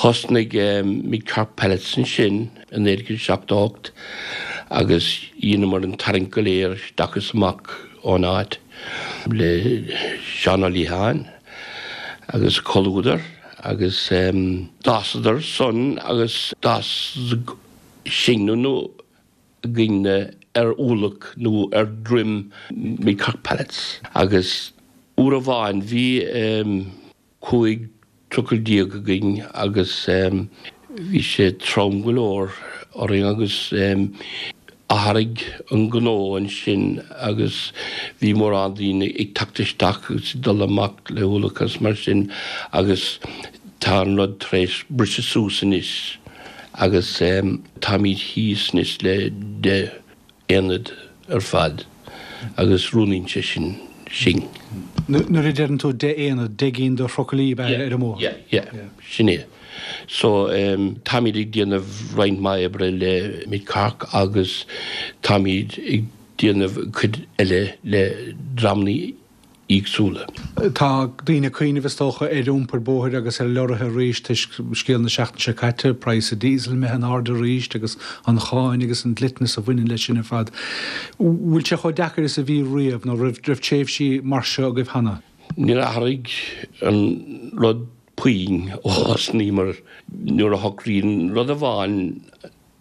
Thosnaigh um, Mid Cork Pallets ansin in naoi déag seachtó ocht agus dheineamar an tarraingt go léir isteach is amach ón áit le Seán Ó Liatháin agus comhluadar agus um, d'fhásadar san agus d'fhás sinne nó againne ar ualach nó ar droim Mid Cork Pallets. Agus uair amháin bhí um, cúig trucail déag againn agus um, bhí sé trom go leor orainn agus um, athraigh an gnó ansin agus bhí mórán daoine ag teacht isteach agus dul amach le hualach agus mar sin agus tá an rud tar éis briseadh suas anois agus um, táimid thíos anois le deich aonad ar fad agus roinneann sé sin sin. Nuair a deireann tú deich aonad, deich gcinn de thrucailí ar an mbóthar. Yeah, yeah, sin é. So um, táimid ag déanamh roinnt mhaith oibre le Mid Cork agus táimid ag déanamh cuid eile le dreamanna éagsúla. Tá daoine ag cuimhneamh is dócha ar iompar bóthair agus ar leoraithe arís toisc scéal na seachtaine seo caite, praghas an diesel imithe in airde arís agus an cháin agus an dliteanas a bhaineann leis sin ar fad. Bhfuil sé chomh deacair is a bhí riamh nó raibh raibh tréimhsí mar seo agaibh cheana? Níor athraigh an rud puinn ó thosnaíomar nuair a shocraíonn rud amháin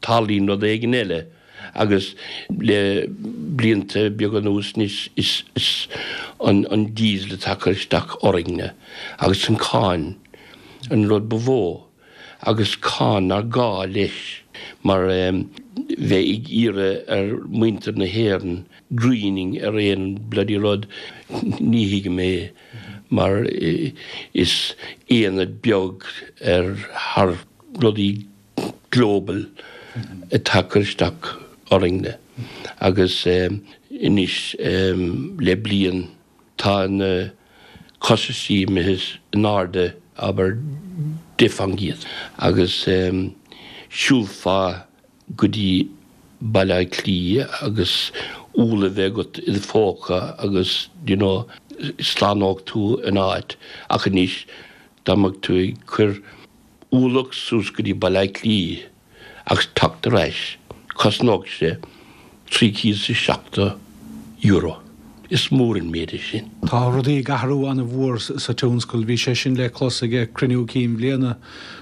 tarlaíonn rud éigin eile agus le blianta beaga anuas is is is an an diesel atá ag cur isteach orainne agus an cáin an rud ba mhó agus cáin nár ghá leis mar bheith ag iarraidh ar mhuintir na hÉireann greening ar aon bloody rud, ní thuigim é mar is aonad beag ar thar rudaí global atá ag cur isteach orainne agus anois le bliain tá na costaisí imithe in airde abair deich faoin gcéad agus siúlfá go dtí Baile Átha Cliath agus úll a bheith agat i do phóca agus you know slánódh tú an áit ach anois dá mbeadh tú ag cur ualach suas go dtí Baile Átha Cliath agus teacht ar ais cosnódh sé trí chéad is a seachtó euro. Is mór an méid é sin. Tá rudaí ag athrú an-mhór sa tionscal. Bhí sé sin le clos ag cruinniú cinn bhliana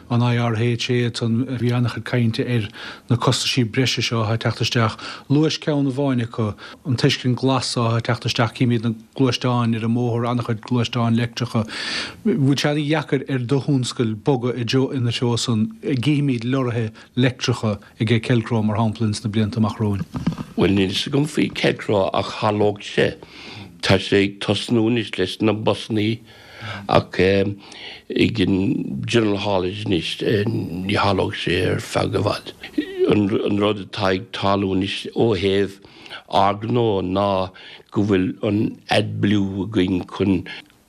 an IRHA ansan. Bhí an-chuid cainte ar na costaisí breise seo atá ag teacht isteach. Luais ceann amháin acu, an tuiscint glas atá ag teacht isteach. Címid na gluaisteáin ar an mbóthar, an-chuid gluaisteáin leictreacha. Bhfuil sé an-dheacair ar do thionscal bogadh i dtreo ina treo san? Gcífimid lorraithe leictreacha ag Kelcro mar shampla ins na blianta amach romhainn? Bhuel níl fhios agam faoi Kelcro ach tharlódh sé. Tá sé ag tosnú anois leis na busannaí ach ag an General Haulage anois ní tharlódh sé ar feadh i bhfad. An rud atá ag tarlú anois ó thaobh ár ngnó ná go bhfuil an AdBlue againn chun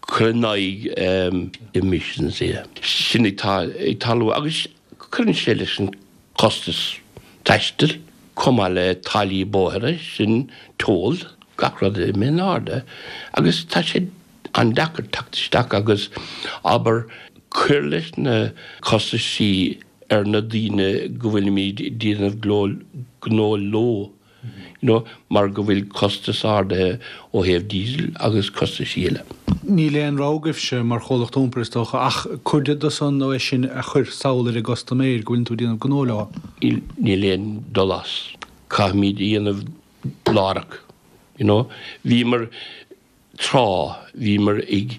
cur in aghaidh emissions. Sin atá ag tarlú agus cuireann sé leis an costas taistil, chomh maith le táillí bóithre, sin toll, gach rud imithe in airde agus tá sé an-deacair teacht isteach agus abair cur leis na costaisí ar na daoine go bhfuilimid ag déanamh gnó leo. You know, mar go bhfuil costas ardaithe ó thaobh diesel agus costaisí eile. Níl aon rogha agaibhse mar chomhlacht iompair is dócha ach cuid de san nó é sin a chur sall ar an gcustaiméir go bhfuileann tú ag déanamh gnó leo. Níl aon dul as. Caithfimid a dhéanamh láithreach. You know, bhíomar tráth, bhíomar ag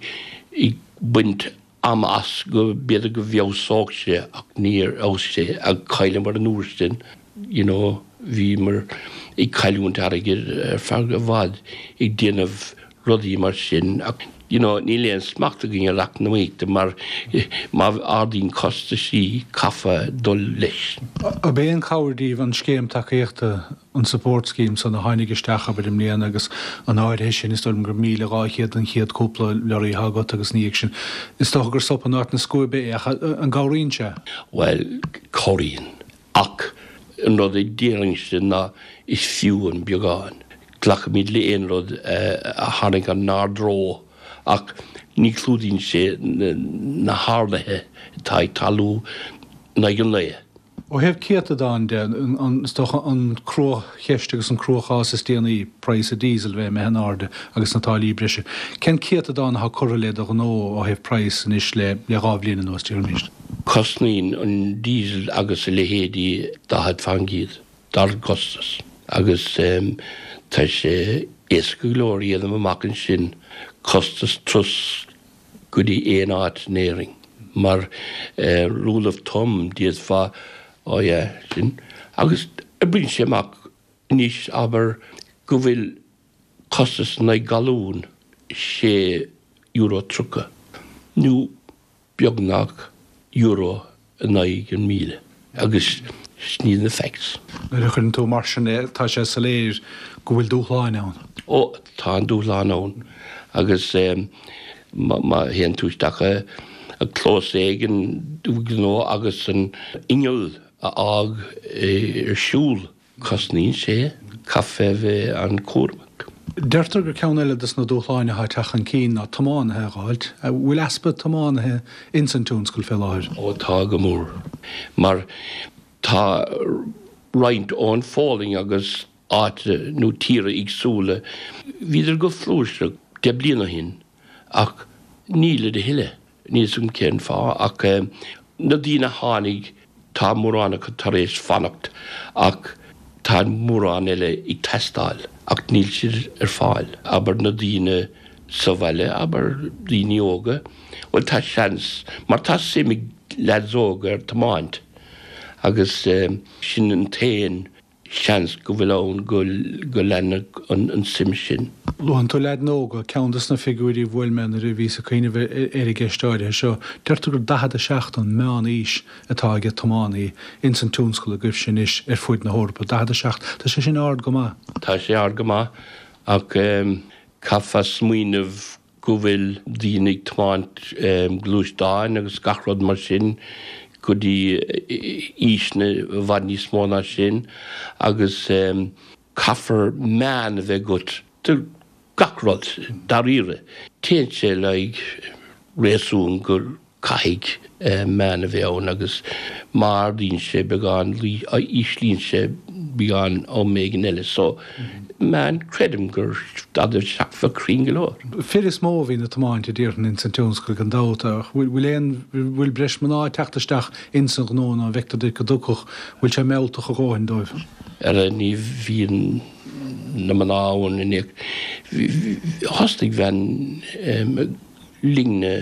ag baint ama as go b'fhéidir go bhfeabhsódh sé ach níor fheabhsaigh sé ach chailleamar an uair sin. You know, bhíomar ag cailliúint airgid ar feadh i bhfad ag déanamh rudaí mar sin ach you know, níl aon smacht againn ar eacnamaíocht mar má ardaíonn costaisí caithfear dul leis. Ab aon chabhair díbh an scéim tacaíochta, an support scheme san a tháinig isteach abair i mbliana agus an áirithe sin is dóigh liom gur míle dhá chéad an chéad cúpla leoraí atá agat agus ina dhiaidh sin is dócha gur sop in áit na scuaibe é ach an gcabhraíonn sé? Bhuel, cabhraíonn. Ach an rud a déarfainnse ná is fiú an beagán. Glacaimid le aon rud a tharraingeann inár dtreo ach ní chlúdaíonn sé na harduithe atá ag tarlú in aghaidh an lae. Ó thaobh céatadán de, is dócha an cruacheist agus an cruachás is déanaí, praghas an diesel bheith imithe in airde agus na táillí breise. Cén céatadán atá curtha le do ghnó ó thaobh praghas anois le dhá bhliain anuas, déarfaimis? Cosnaíonn an diesel agus a leithéidí daichead faoin gcéad dár gcostas agus tá sé éasca go leor a dhéanamh amach ansin costas turas go dtí aon áit in Éirinn mar rule of thumb d'fhéadfá oh yeah sin agus oibríonn sé amach anois abair go bhfuil costas in aghaidh galún sé euro tríocha nó beagnach euro in aghaidh an míle agus sin iad na facts. Nuair a chuireann tú mar sin é, tá sé soiléir go bhfuil dúshláin ann. Ó, tá an dúshlán ann agus má théann tú isteach i gclós éigin gnó agus an inneall a fhág ar siúl, cosnaíonn sé, caithfidh a bheith an-chúramach. Deirtear gur ceann eile dos na dúshláin atá ag teacht chun cinn ná tiománaithe a dh'fháilt. An bhfuil easpa tiománaithe ins an tionscal fé láthair? Ó tá go mór. Mar tá roinnt ón Pholainn agus áite nó tíortha éagsúla, bhíodar go flúirseach deich bliana ó shin ach nílid a thuilleadh. Níl 'fhios agam cén fáth ach na daoine a tháinig tá mórán acu tar éis fanacht ach tá mórán eile ag teastáil ach níl siad ar fáil. Abair na daoine sa bhaile, abair daoine óga, bhuel tá seans mar tá suim ag leaids óga ar tiomáint agus sin an t-aon seans go bhfuil ann go go leanfadh an suim sin. Luann tú leaids óga, ceann de na figiúirí a bhuail mé nuair a bhíos ag cuimhneamh ar an gceist áirithe seo, deirtear gur daichead a seacht an meán-aois atá ag tiománaí ins an tionscal agaibhse anois ar fuaid na hEorpa. Daichead a seacht, tá sé sin ard go maith. Tá sé ard go maith ach caithfear smaoineamh go bhfuil daoine ag tiomáint gluaisteáin agus gach rud mar sin go dtí aoiseanna i bhfad níos mó ná sin agus caithfear meán a bheith agat do gach rud dáiríre. Téann sé le haghaidh réasún go caithfidh meán a bheith ann agus má ardaíonn sé beagán, íslíonn sé beagán am éigin eile. So, meán, creidim gur daichead a seacht bheadh cruinn go leor. Fir is mó a bhíonn ag tiomáint a déarfainn ins an tionscal gan dabht ach bhfuil aon, bhfuil breis mná ag teacht isteach ins an ghnó nó an bhfeictear duit go dtugfadh, bhfuil sé mealltach a dhóthain dóibh? Ara ní bhíonn na mná ann in aon, thosnaigh bhean linne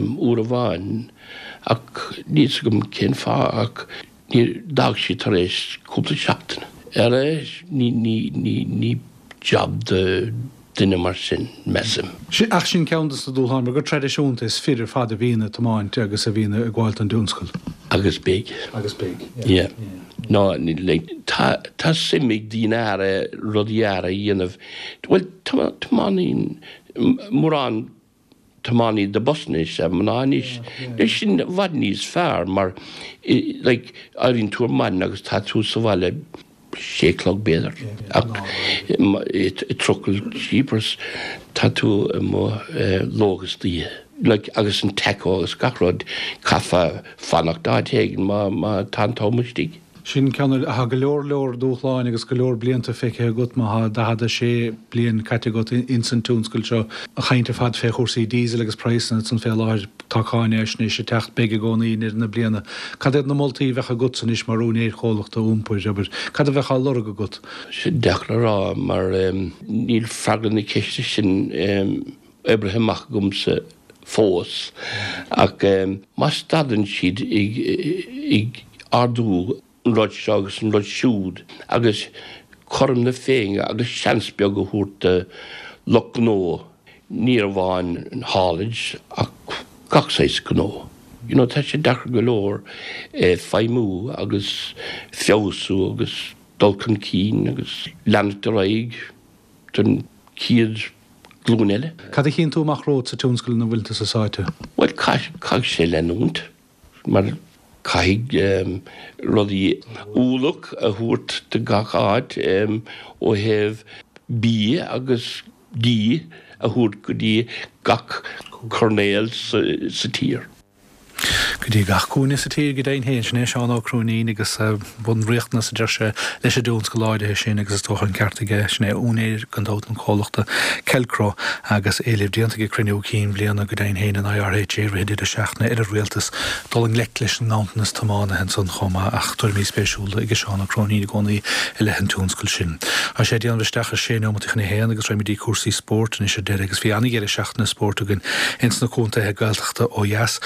uair amháin ach níl 's agam cén fáth ach níor, d'fhág sí tar éis cúpla seachtain. Ara ní, ní, ní, ní jab do duine mar sin, measaim. Ach sin ceann de na dúshláin mar go traidisiúnta is fir ar fad a bhíonn ag tiomáint agus a bhíonn ag gabháil don dtionscal. Agus beidh. Agus beidh, yeah. Yeah. No, like, tá, tá suim ag daoine aire rudaí aire a dhéanamh. Bhuel, tiománaíonn mórán tiománaí de busanna is ea mná anois. Leis sin i bhfad níos fearr mar like éiríonn tú ar maidin agus tá tú sa bhaile sé chlog b'fhéidir ach i trucail jeepers tá tú amuigh ló agus oíche. Like agus an tacho agus gach rud caithfeá fanacht áit éigin má má tá an t-am istigh. Sin ceann Tá go leor leor dúshláin agus go leor blianta feicthe agat má tá daichead a sé bliain caite agat ins an tionscal seo. An chaint ar fad fé chúrsaí diesel agus praghsanna ansan fé láthair, tá cáinfhaisnéis ag teacht, beidh i gcónaí i ndeireadh na bliana. Cad iad na moltaí a bheadh agatsa anois mar úinéir chomhlachta iompair, abair? Cad a bheadh á lorg agat? Sin deacair a rá mar níl freagra na ceiste sin oibrithe amach agamsa fós ach má stadann siad ag ardú an rud seo agus an rud siúd agus cothrom na Féinne agus seans beag a thabhairt do lucht gnó, ní amháin an haulage ach gach saghas gnó. You know, tá sé deacair go leor feidhmiú agus feabhsú agus dul chun cinn agus leanacht ar aghaidh don chéad ghlúin eile. Cad a chíonn tú amach romhat sa tionscal ina bhfuil tusa sáite? Bhuel, caithfidh sé leanúint mar caithfidh rudaí ualach a thabhairt do gach áit ó thaobh bia agus dí a thabhairt go dtí gach coirnéal sa tír. Go dtí gach cúinne sa tír go deimhin féin. Sin é Seán Ó Cróinín agus bunriachtanas, a deir sé, leis an dtionscal áirithe sin agus is dócha an ceart aige. Sin é úinéir, gan dabht, an chomhlachta Kelcro agus éileamh déanta ag cruinniú cinn bhliana go deimhin féin an IRHA i rith an deireadh seachtaine ar an rialtas dul i ngleic leis an nganntanas tiománaithe ansan chomh maith ach tuairimí spéisiúla ag Seán Ó Cróinín i gcónaí i leith an tionscail sin. Tá sé ag déanamh isteach ar sé neomat chun a haon agus raghaimid go dtí cúrsaí spóirt anois ar deireadh agus bhí an-dheireadh seachtaine spóirt againn ins na contaetha Gaeltachta ó dheas.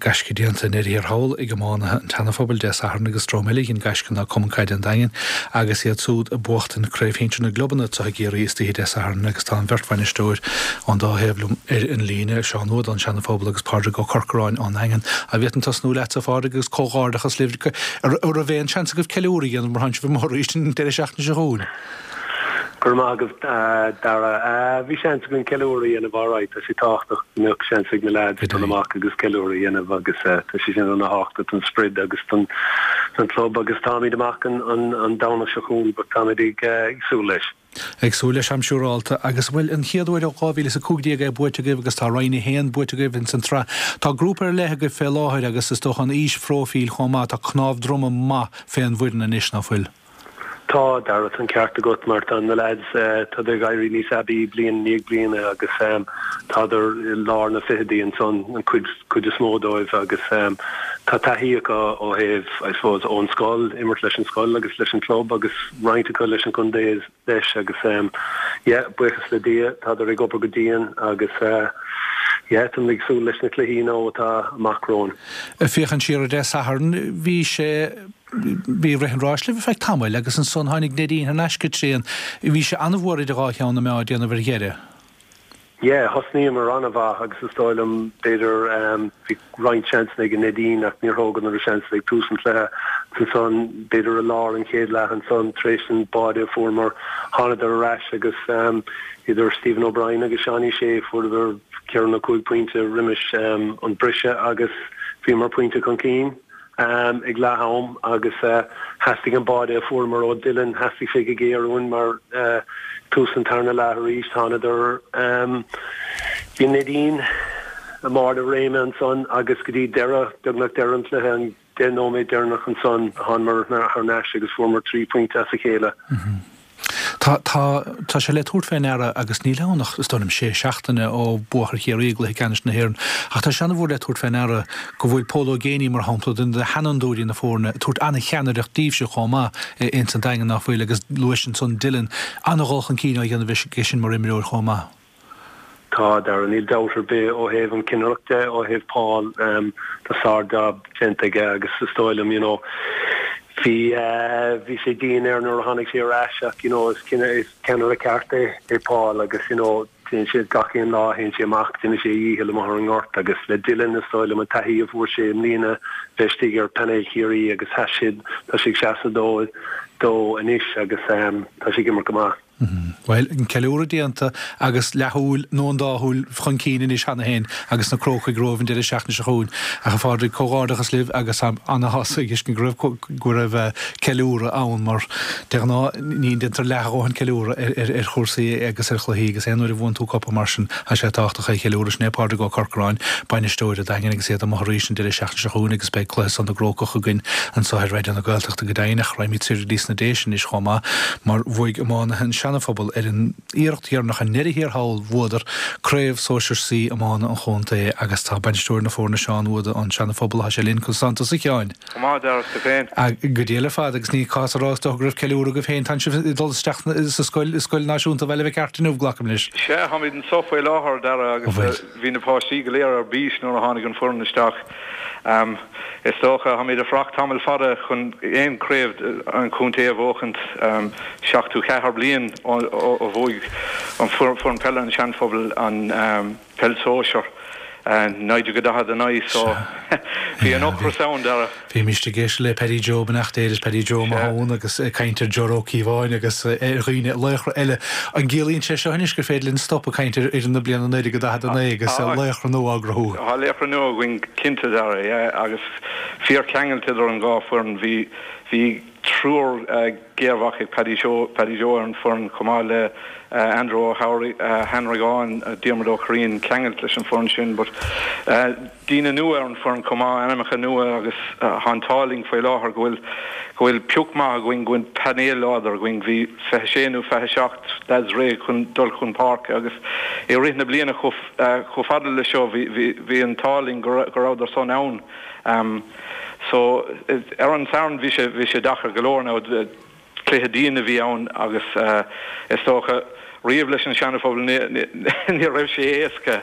Gaisce déanta i ndeireadh thiar thall ag iománaithe an tSeana-Phobail Dé Sathairn agus dream eile a dhein gaisce ná Cumann Caide an Daingin agus iad súd ag buachtaint Craobh Shinsir na gClubanna anseo i gCiarraí istoíche Dé Sathairn agus tá an bheirt bhainisteoir ón dá thaobh liom ar an líne, Seán Ó ón Seana-Phobal agus Pádraig Ó Corcoráin ón nDaingean. An bhféadfainn tosnú leatsa, a Phádraig, agus comhghairdeachas libh. An raibh aon seans agaibh ceiliúradh a dhéanamh mar tánn sibh amuigh arís an deireadh seachtaine seo chugainn? Go raibh maith agat, Dara. Bhí seans againn ceiliúradh a dhéanamh alright. Tá sé tábhachtach go mbeadh seans ag na leaids dul amach agus ceiliúradh a dhéanamh agus tá sé sin ana-thábhachtach don sprid agus don club agus táimid amach an Domhnach seo chugainn but táimid ag súil leis. Ag súil leis, táim siúrálta. Agus bhuel, an chéad uair ó dhá mhíle is a cúig déag é buaite agaibh agus tá Roinn a haon buaite agaibh ins an tsraith. Tá grúpa ar leith agaibh fé láthair agus is dócha an aoisphróifíl chomh maith, tá cnámh droma maith fén bhfoireann anois, ná fuil? Tá, Dara, tá an ceart agat mar tá na leaids, tádar ag éirí níos aibí bliain i ndiaidh bliana agus tádar i lár na fichidí ansan, an cuid, cuid is mó dóibh agus tá taithí acu ó thaobh, I suppose, ón scoil, imirt leis an scoil agus leis an club agus roinnt acu leis an gcontae leis agus yeah, buíochas le Dia, tádar ag obair go dian agus yeah, táim ag súil leis na cluichí now atá amach romhainn. Féachaint siar ar Dé Sathairn, bhí sé bhí rith an ráis libh ar feadh tamaill agus ansan tháinig Neidín thar n-ais go tréan. Bhí sé an-mhór idir dhá cheann na meá ag déanamh ar dheireadh. Yeah, thosnaíomar an-mhaith agus is dóigh liom b'fhéidir um, bhí roinnt seansanna ag Neidín ach níor thógadar na seansanna ag tús an chluiche. Ansan b'fhéidir i lár an chéad leath ansan tar éis an báide a fuaireamar thánadar ar ais agus um, idir Stephen O'Brien agus Seánie Shea fuaireadar ceithre nó cúig pointe roimis um, an briseadh agus bhíomar pointe chun cinn um, ag leath am agus uh, theastaigh an báide a fuaireamar ó Dylan theastaigh sé go géar uainn mar uh, tús an tarna leath arís thánadar um, bhí Neidín i mbarr a réime ansan agus go dtí deireadh beagnach deireadh an chluiche an deich nóiméad deireanach ansan thánamar thar n-ais agus fuaireamar trí pointe as a chéile. Mm -hmm. Tá tá tá sé le tabhairt fé ndeara agus níl ann ach is dóigh liom sé seachtaine ó buadh ar Chiarraí i gcluiche ceannais na hÉireann ach tá sé an-mhór le tabhairt fé ndeara go bhfuil Pól Ó Géibheannaigh mar shampla duine de sheanfhondúirí na foirne ag tabhairt an-cheannaireacht daoibhse chomh maith ins an Daingean nach bhfuil agus luais ansan Dylan an-dhul chun cinn á dhéanamh aige sin mar imreoir chomh maith. Tá Dara níl dabht ar bith ó thaobh an chinnireacht de ó thaobh Paul um, tá sár-jab déanta aige agus is dóigh liom you know, bhí uh, bhí sé dian air nuair a tháinig sé ar ais ach you know, is is ceannaire ceart é é Paul agus you know, téann sé gach aon lá théann sé amach déanann sé a dhícheall amuigh ar an ngort agus le Dylan is dóigh liom an taithí a fuair sé i mbliana bheith istigh ar painéal Chiarraí agus tá siad tá sé ag seasamh dó dó anois agus um, tá sé ag imirt go maith. Bhuel, an ceiliúradh déanta agus leathshúil nó an dá shúil chun cinn anois cheana féin agus na Crócaigh romhaibh an deireadh seachtaine seo chugainn. Ach a Phádraig, comhghairdeachas libh agus táim ana-shásta a fheiscint go raibh go raibh ceiliúradh ann mar de ghnáth ní déantar leath a dhóthain ceiliúradh ar, ar, ar chúrsaí agus ar chluichí agus aon uair a bhuann tú cupa mar sin tá sé tábhachtach é a cheiliúradh. Sin é Pádraig Ó Corcoráin, bainisteoir an Daingin agus iad amuigh arís an deireadh seachtaine seo chugainn agus beidh cluiche san na gCrócach againn anseo ar Raidió na Gaeltachta go deimhin ach raghaimid soir go dtí sna Déise anois chomh maith mar bhuaigh iománaithe an Seana-Phobal ar an iarracht dheireanach i ndeireadh thiar thall bhuadar Craobh Sóisir C iomána an chontae agus tá bainisteoir na foirne Seán Wood ón Seana-Phobal tá sé linn conas tánn tusa a Sheáin. Go maith Dara is tú féin. Go diail ar fad agus ní cás a rá is dócha go raibh ceiliúradh agaibh féin tá sibh ag dul isteach sa scoil i Scoil Náisiúnta Bhaile Mhic Airt inniu glacaim leis. Sea, táimid anseo faoi láthair Dara agus bhí na páistí go léir ar bís nuair a tháinig an foireann isteach. Is dócha, táimid ag fanacht tamall fada chun aon chraobh an chontae a bhuachaint, seachtó ceathair bliain ó bhuaigh an foireann peile an Seanphobail an peil sóisear, naoi déag daichead a naoi, so bhí an ocras ann, Dara. Bhímist ag éisteacht le Paddy Joe beannacht Dé leis Paddy Joe Mahon agus ag caint ar Joe Ó Cíobháin agus ar dhaoine laochra eile. An gciallaíonn sé seo anois gur féidir linn stop ag caint ar fhoireann na bliana naoi déag daichead a naoi agus laochra nua á gcruthú? Tá laochra nua againn cinnte, Dara, yeah, agus fíorcheangailt idir an dhá foireann. Bhí bhí triúr géarmhac ag Paddy Joe Paddy Joe ar an foireann chomh maith le Andrew Ó hAnragáin, Diarmuid Ó Curraoin ceangailt leis an foireann sin but daoine nua ar an foireann chomh maith, ainmneacha nua agus tá an t-ádh linn faoi láthair go bhfuil go bhfuil pioc maith againn, go bhfuil painéal láidir againn. Bhí fiche sé nó fiche seacht lads réidh chun dul chun páirce agus i rith na bliana chomh chomh fada le seo bhí bhí bhí an t-ádh linn go go rabhadar san ann. So ar an Satharn bhí sé bhí sé deacair go leor now cluiche dian a bhí ann agus is dócha riamh leis an Seana-Phobal ní ní raibh sé éasca.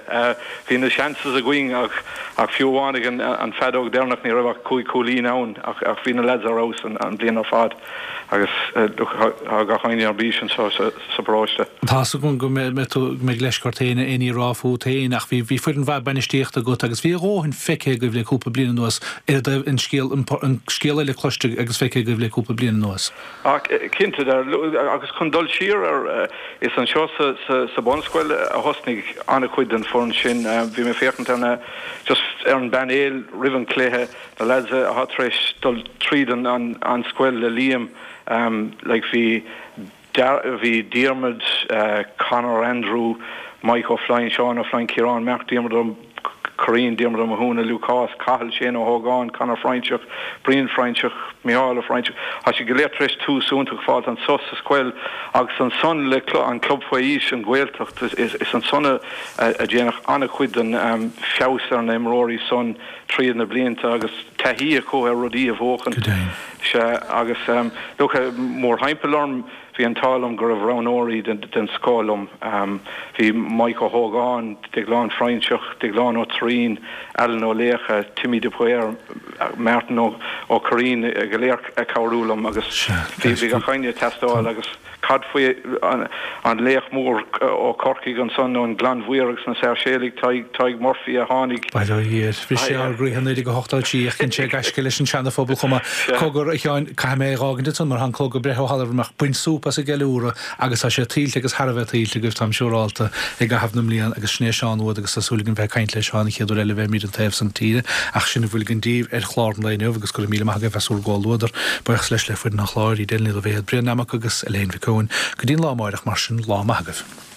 Bhí na chances againn ach ach fiú amháin ag an an feadóg deireanach ní raibh ach cúig cúilín ann ach ach bhí na lads ar fheabhas an an bliain ar fad agus tá gach éinne ar bís anseo sa sa bparóiste. Tá's agam go mbeidh tú go mbeidh leisce ort aon ní a rá fút féin ach bhí bhí foireann mhaith bainistíochta agat agus bhí a dhóthain feicthe agaibh le cúpla bliain anuas ar i dtaobh an scéal an scéal eile cloiste agus feicthe agaibh le cúpla bliain anuas. Ach cinnte agus chun dul siar ar is anseo sa sa sa bunscoil a thosnaigh an-chuid den foireann sin. Bhí mé féachaint ar na just ar an bpainéal roimh an cluiche, na lads atá tar éis dul tríd an an an scoil le Liam like bhí bhí Diarmuid, Conor, Andrew, Mike Ó Floinn, Seán Ó Floinn, Ciarán, Mark, Diarmuid Ó Curraoin, Diarmuid Ó Mathúna, Lúcás, Cathal, Shane Ó hÓgáin, Conor Froinseach, Brian Froinseach, Micheál Ó Froinseach. Tá siad go léir tar éis tús iontach a fháilt anso sa scoil agus ansan le an club faoi aois, an Ghaeltacht, is ansan a déanadh an-chuid den feabhas ar na imreoirí san tríd na blianta agus taithí acu ar rudaí a bhuachan. Go deimhin. Sea, agus look, mórthimpeall orm bhí an t-ádh liom go raibh roghnóirí den scoth liom. Bhí Mike Ó hÓgáin, Déaglán Froinseach, Déaglán Ó Troighinn, Alan Ó Laocha, Timmy de Paor, Martin Ó Curraoin go léir ag cabhrú liom agus bhí gach éinne ag teastáil agus cad faoi an laoch mór ó Chorcaigh ansan ón nGleann Mhór agus na Sáirséalaigh, Tadhg Murphy a tháinig. Bail ó Dhia air. Bhris sé ár gcroíthe naoi déag a hocht a trí ach dhein sé gaisce leis an seana-phobal chomh maith. Cogar, a Sheáin, caithfidh mé é dh'fhágaint ansan mar tá an clog ag breith ó thalamh ach bain súp as an gceiliúradh agus tá sé tuillte agus thar a bheith tuillte agaibh, táim siúrálta, i gcaitheamh na mblian agus sin é Seán uait agus tá súil agam bheith ag caint le Seán an chéad uair eile a bheimid an taobh san tíre ach sin a bhfuil againn daoibh ar chlár an lae inniu agus go raibh míle maith agaibh as bhur gcomhluadar. Buíochas leis le foireann an chláir, Edel Ní Loibhéad, Brian Nammock agus Elaine Mhic Eoin. Go dtí an lá amáireach mar sin, lá maith agaibh.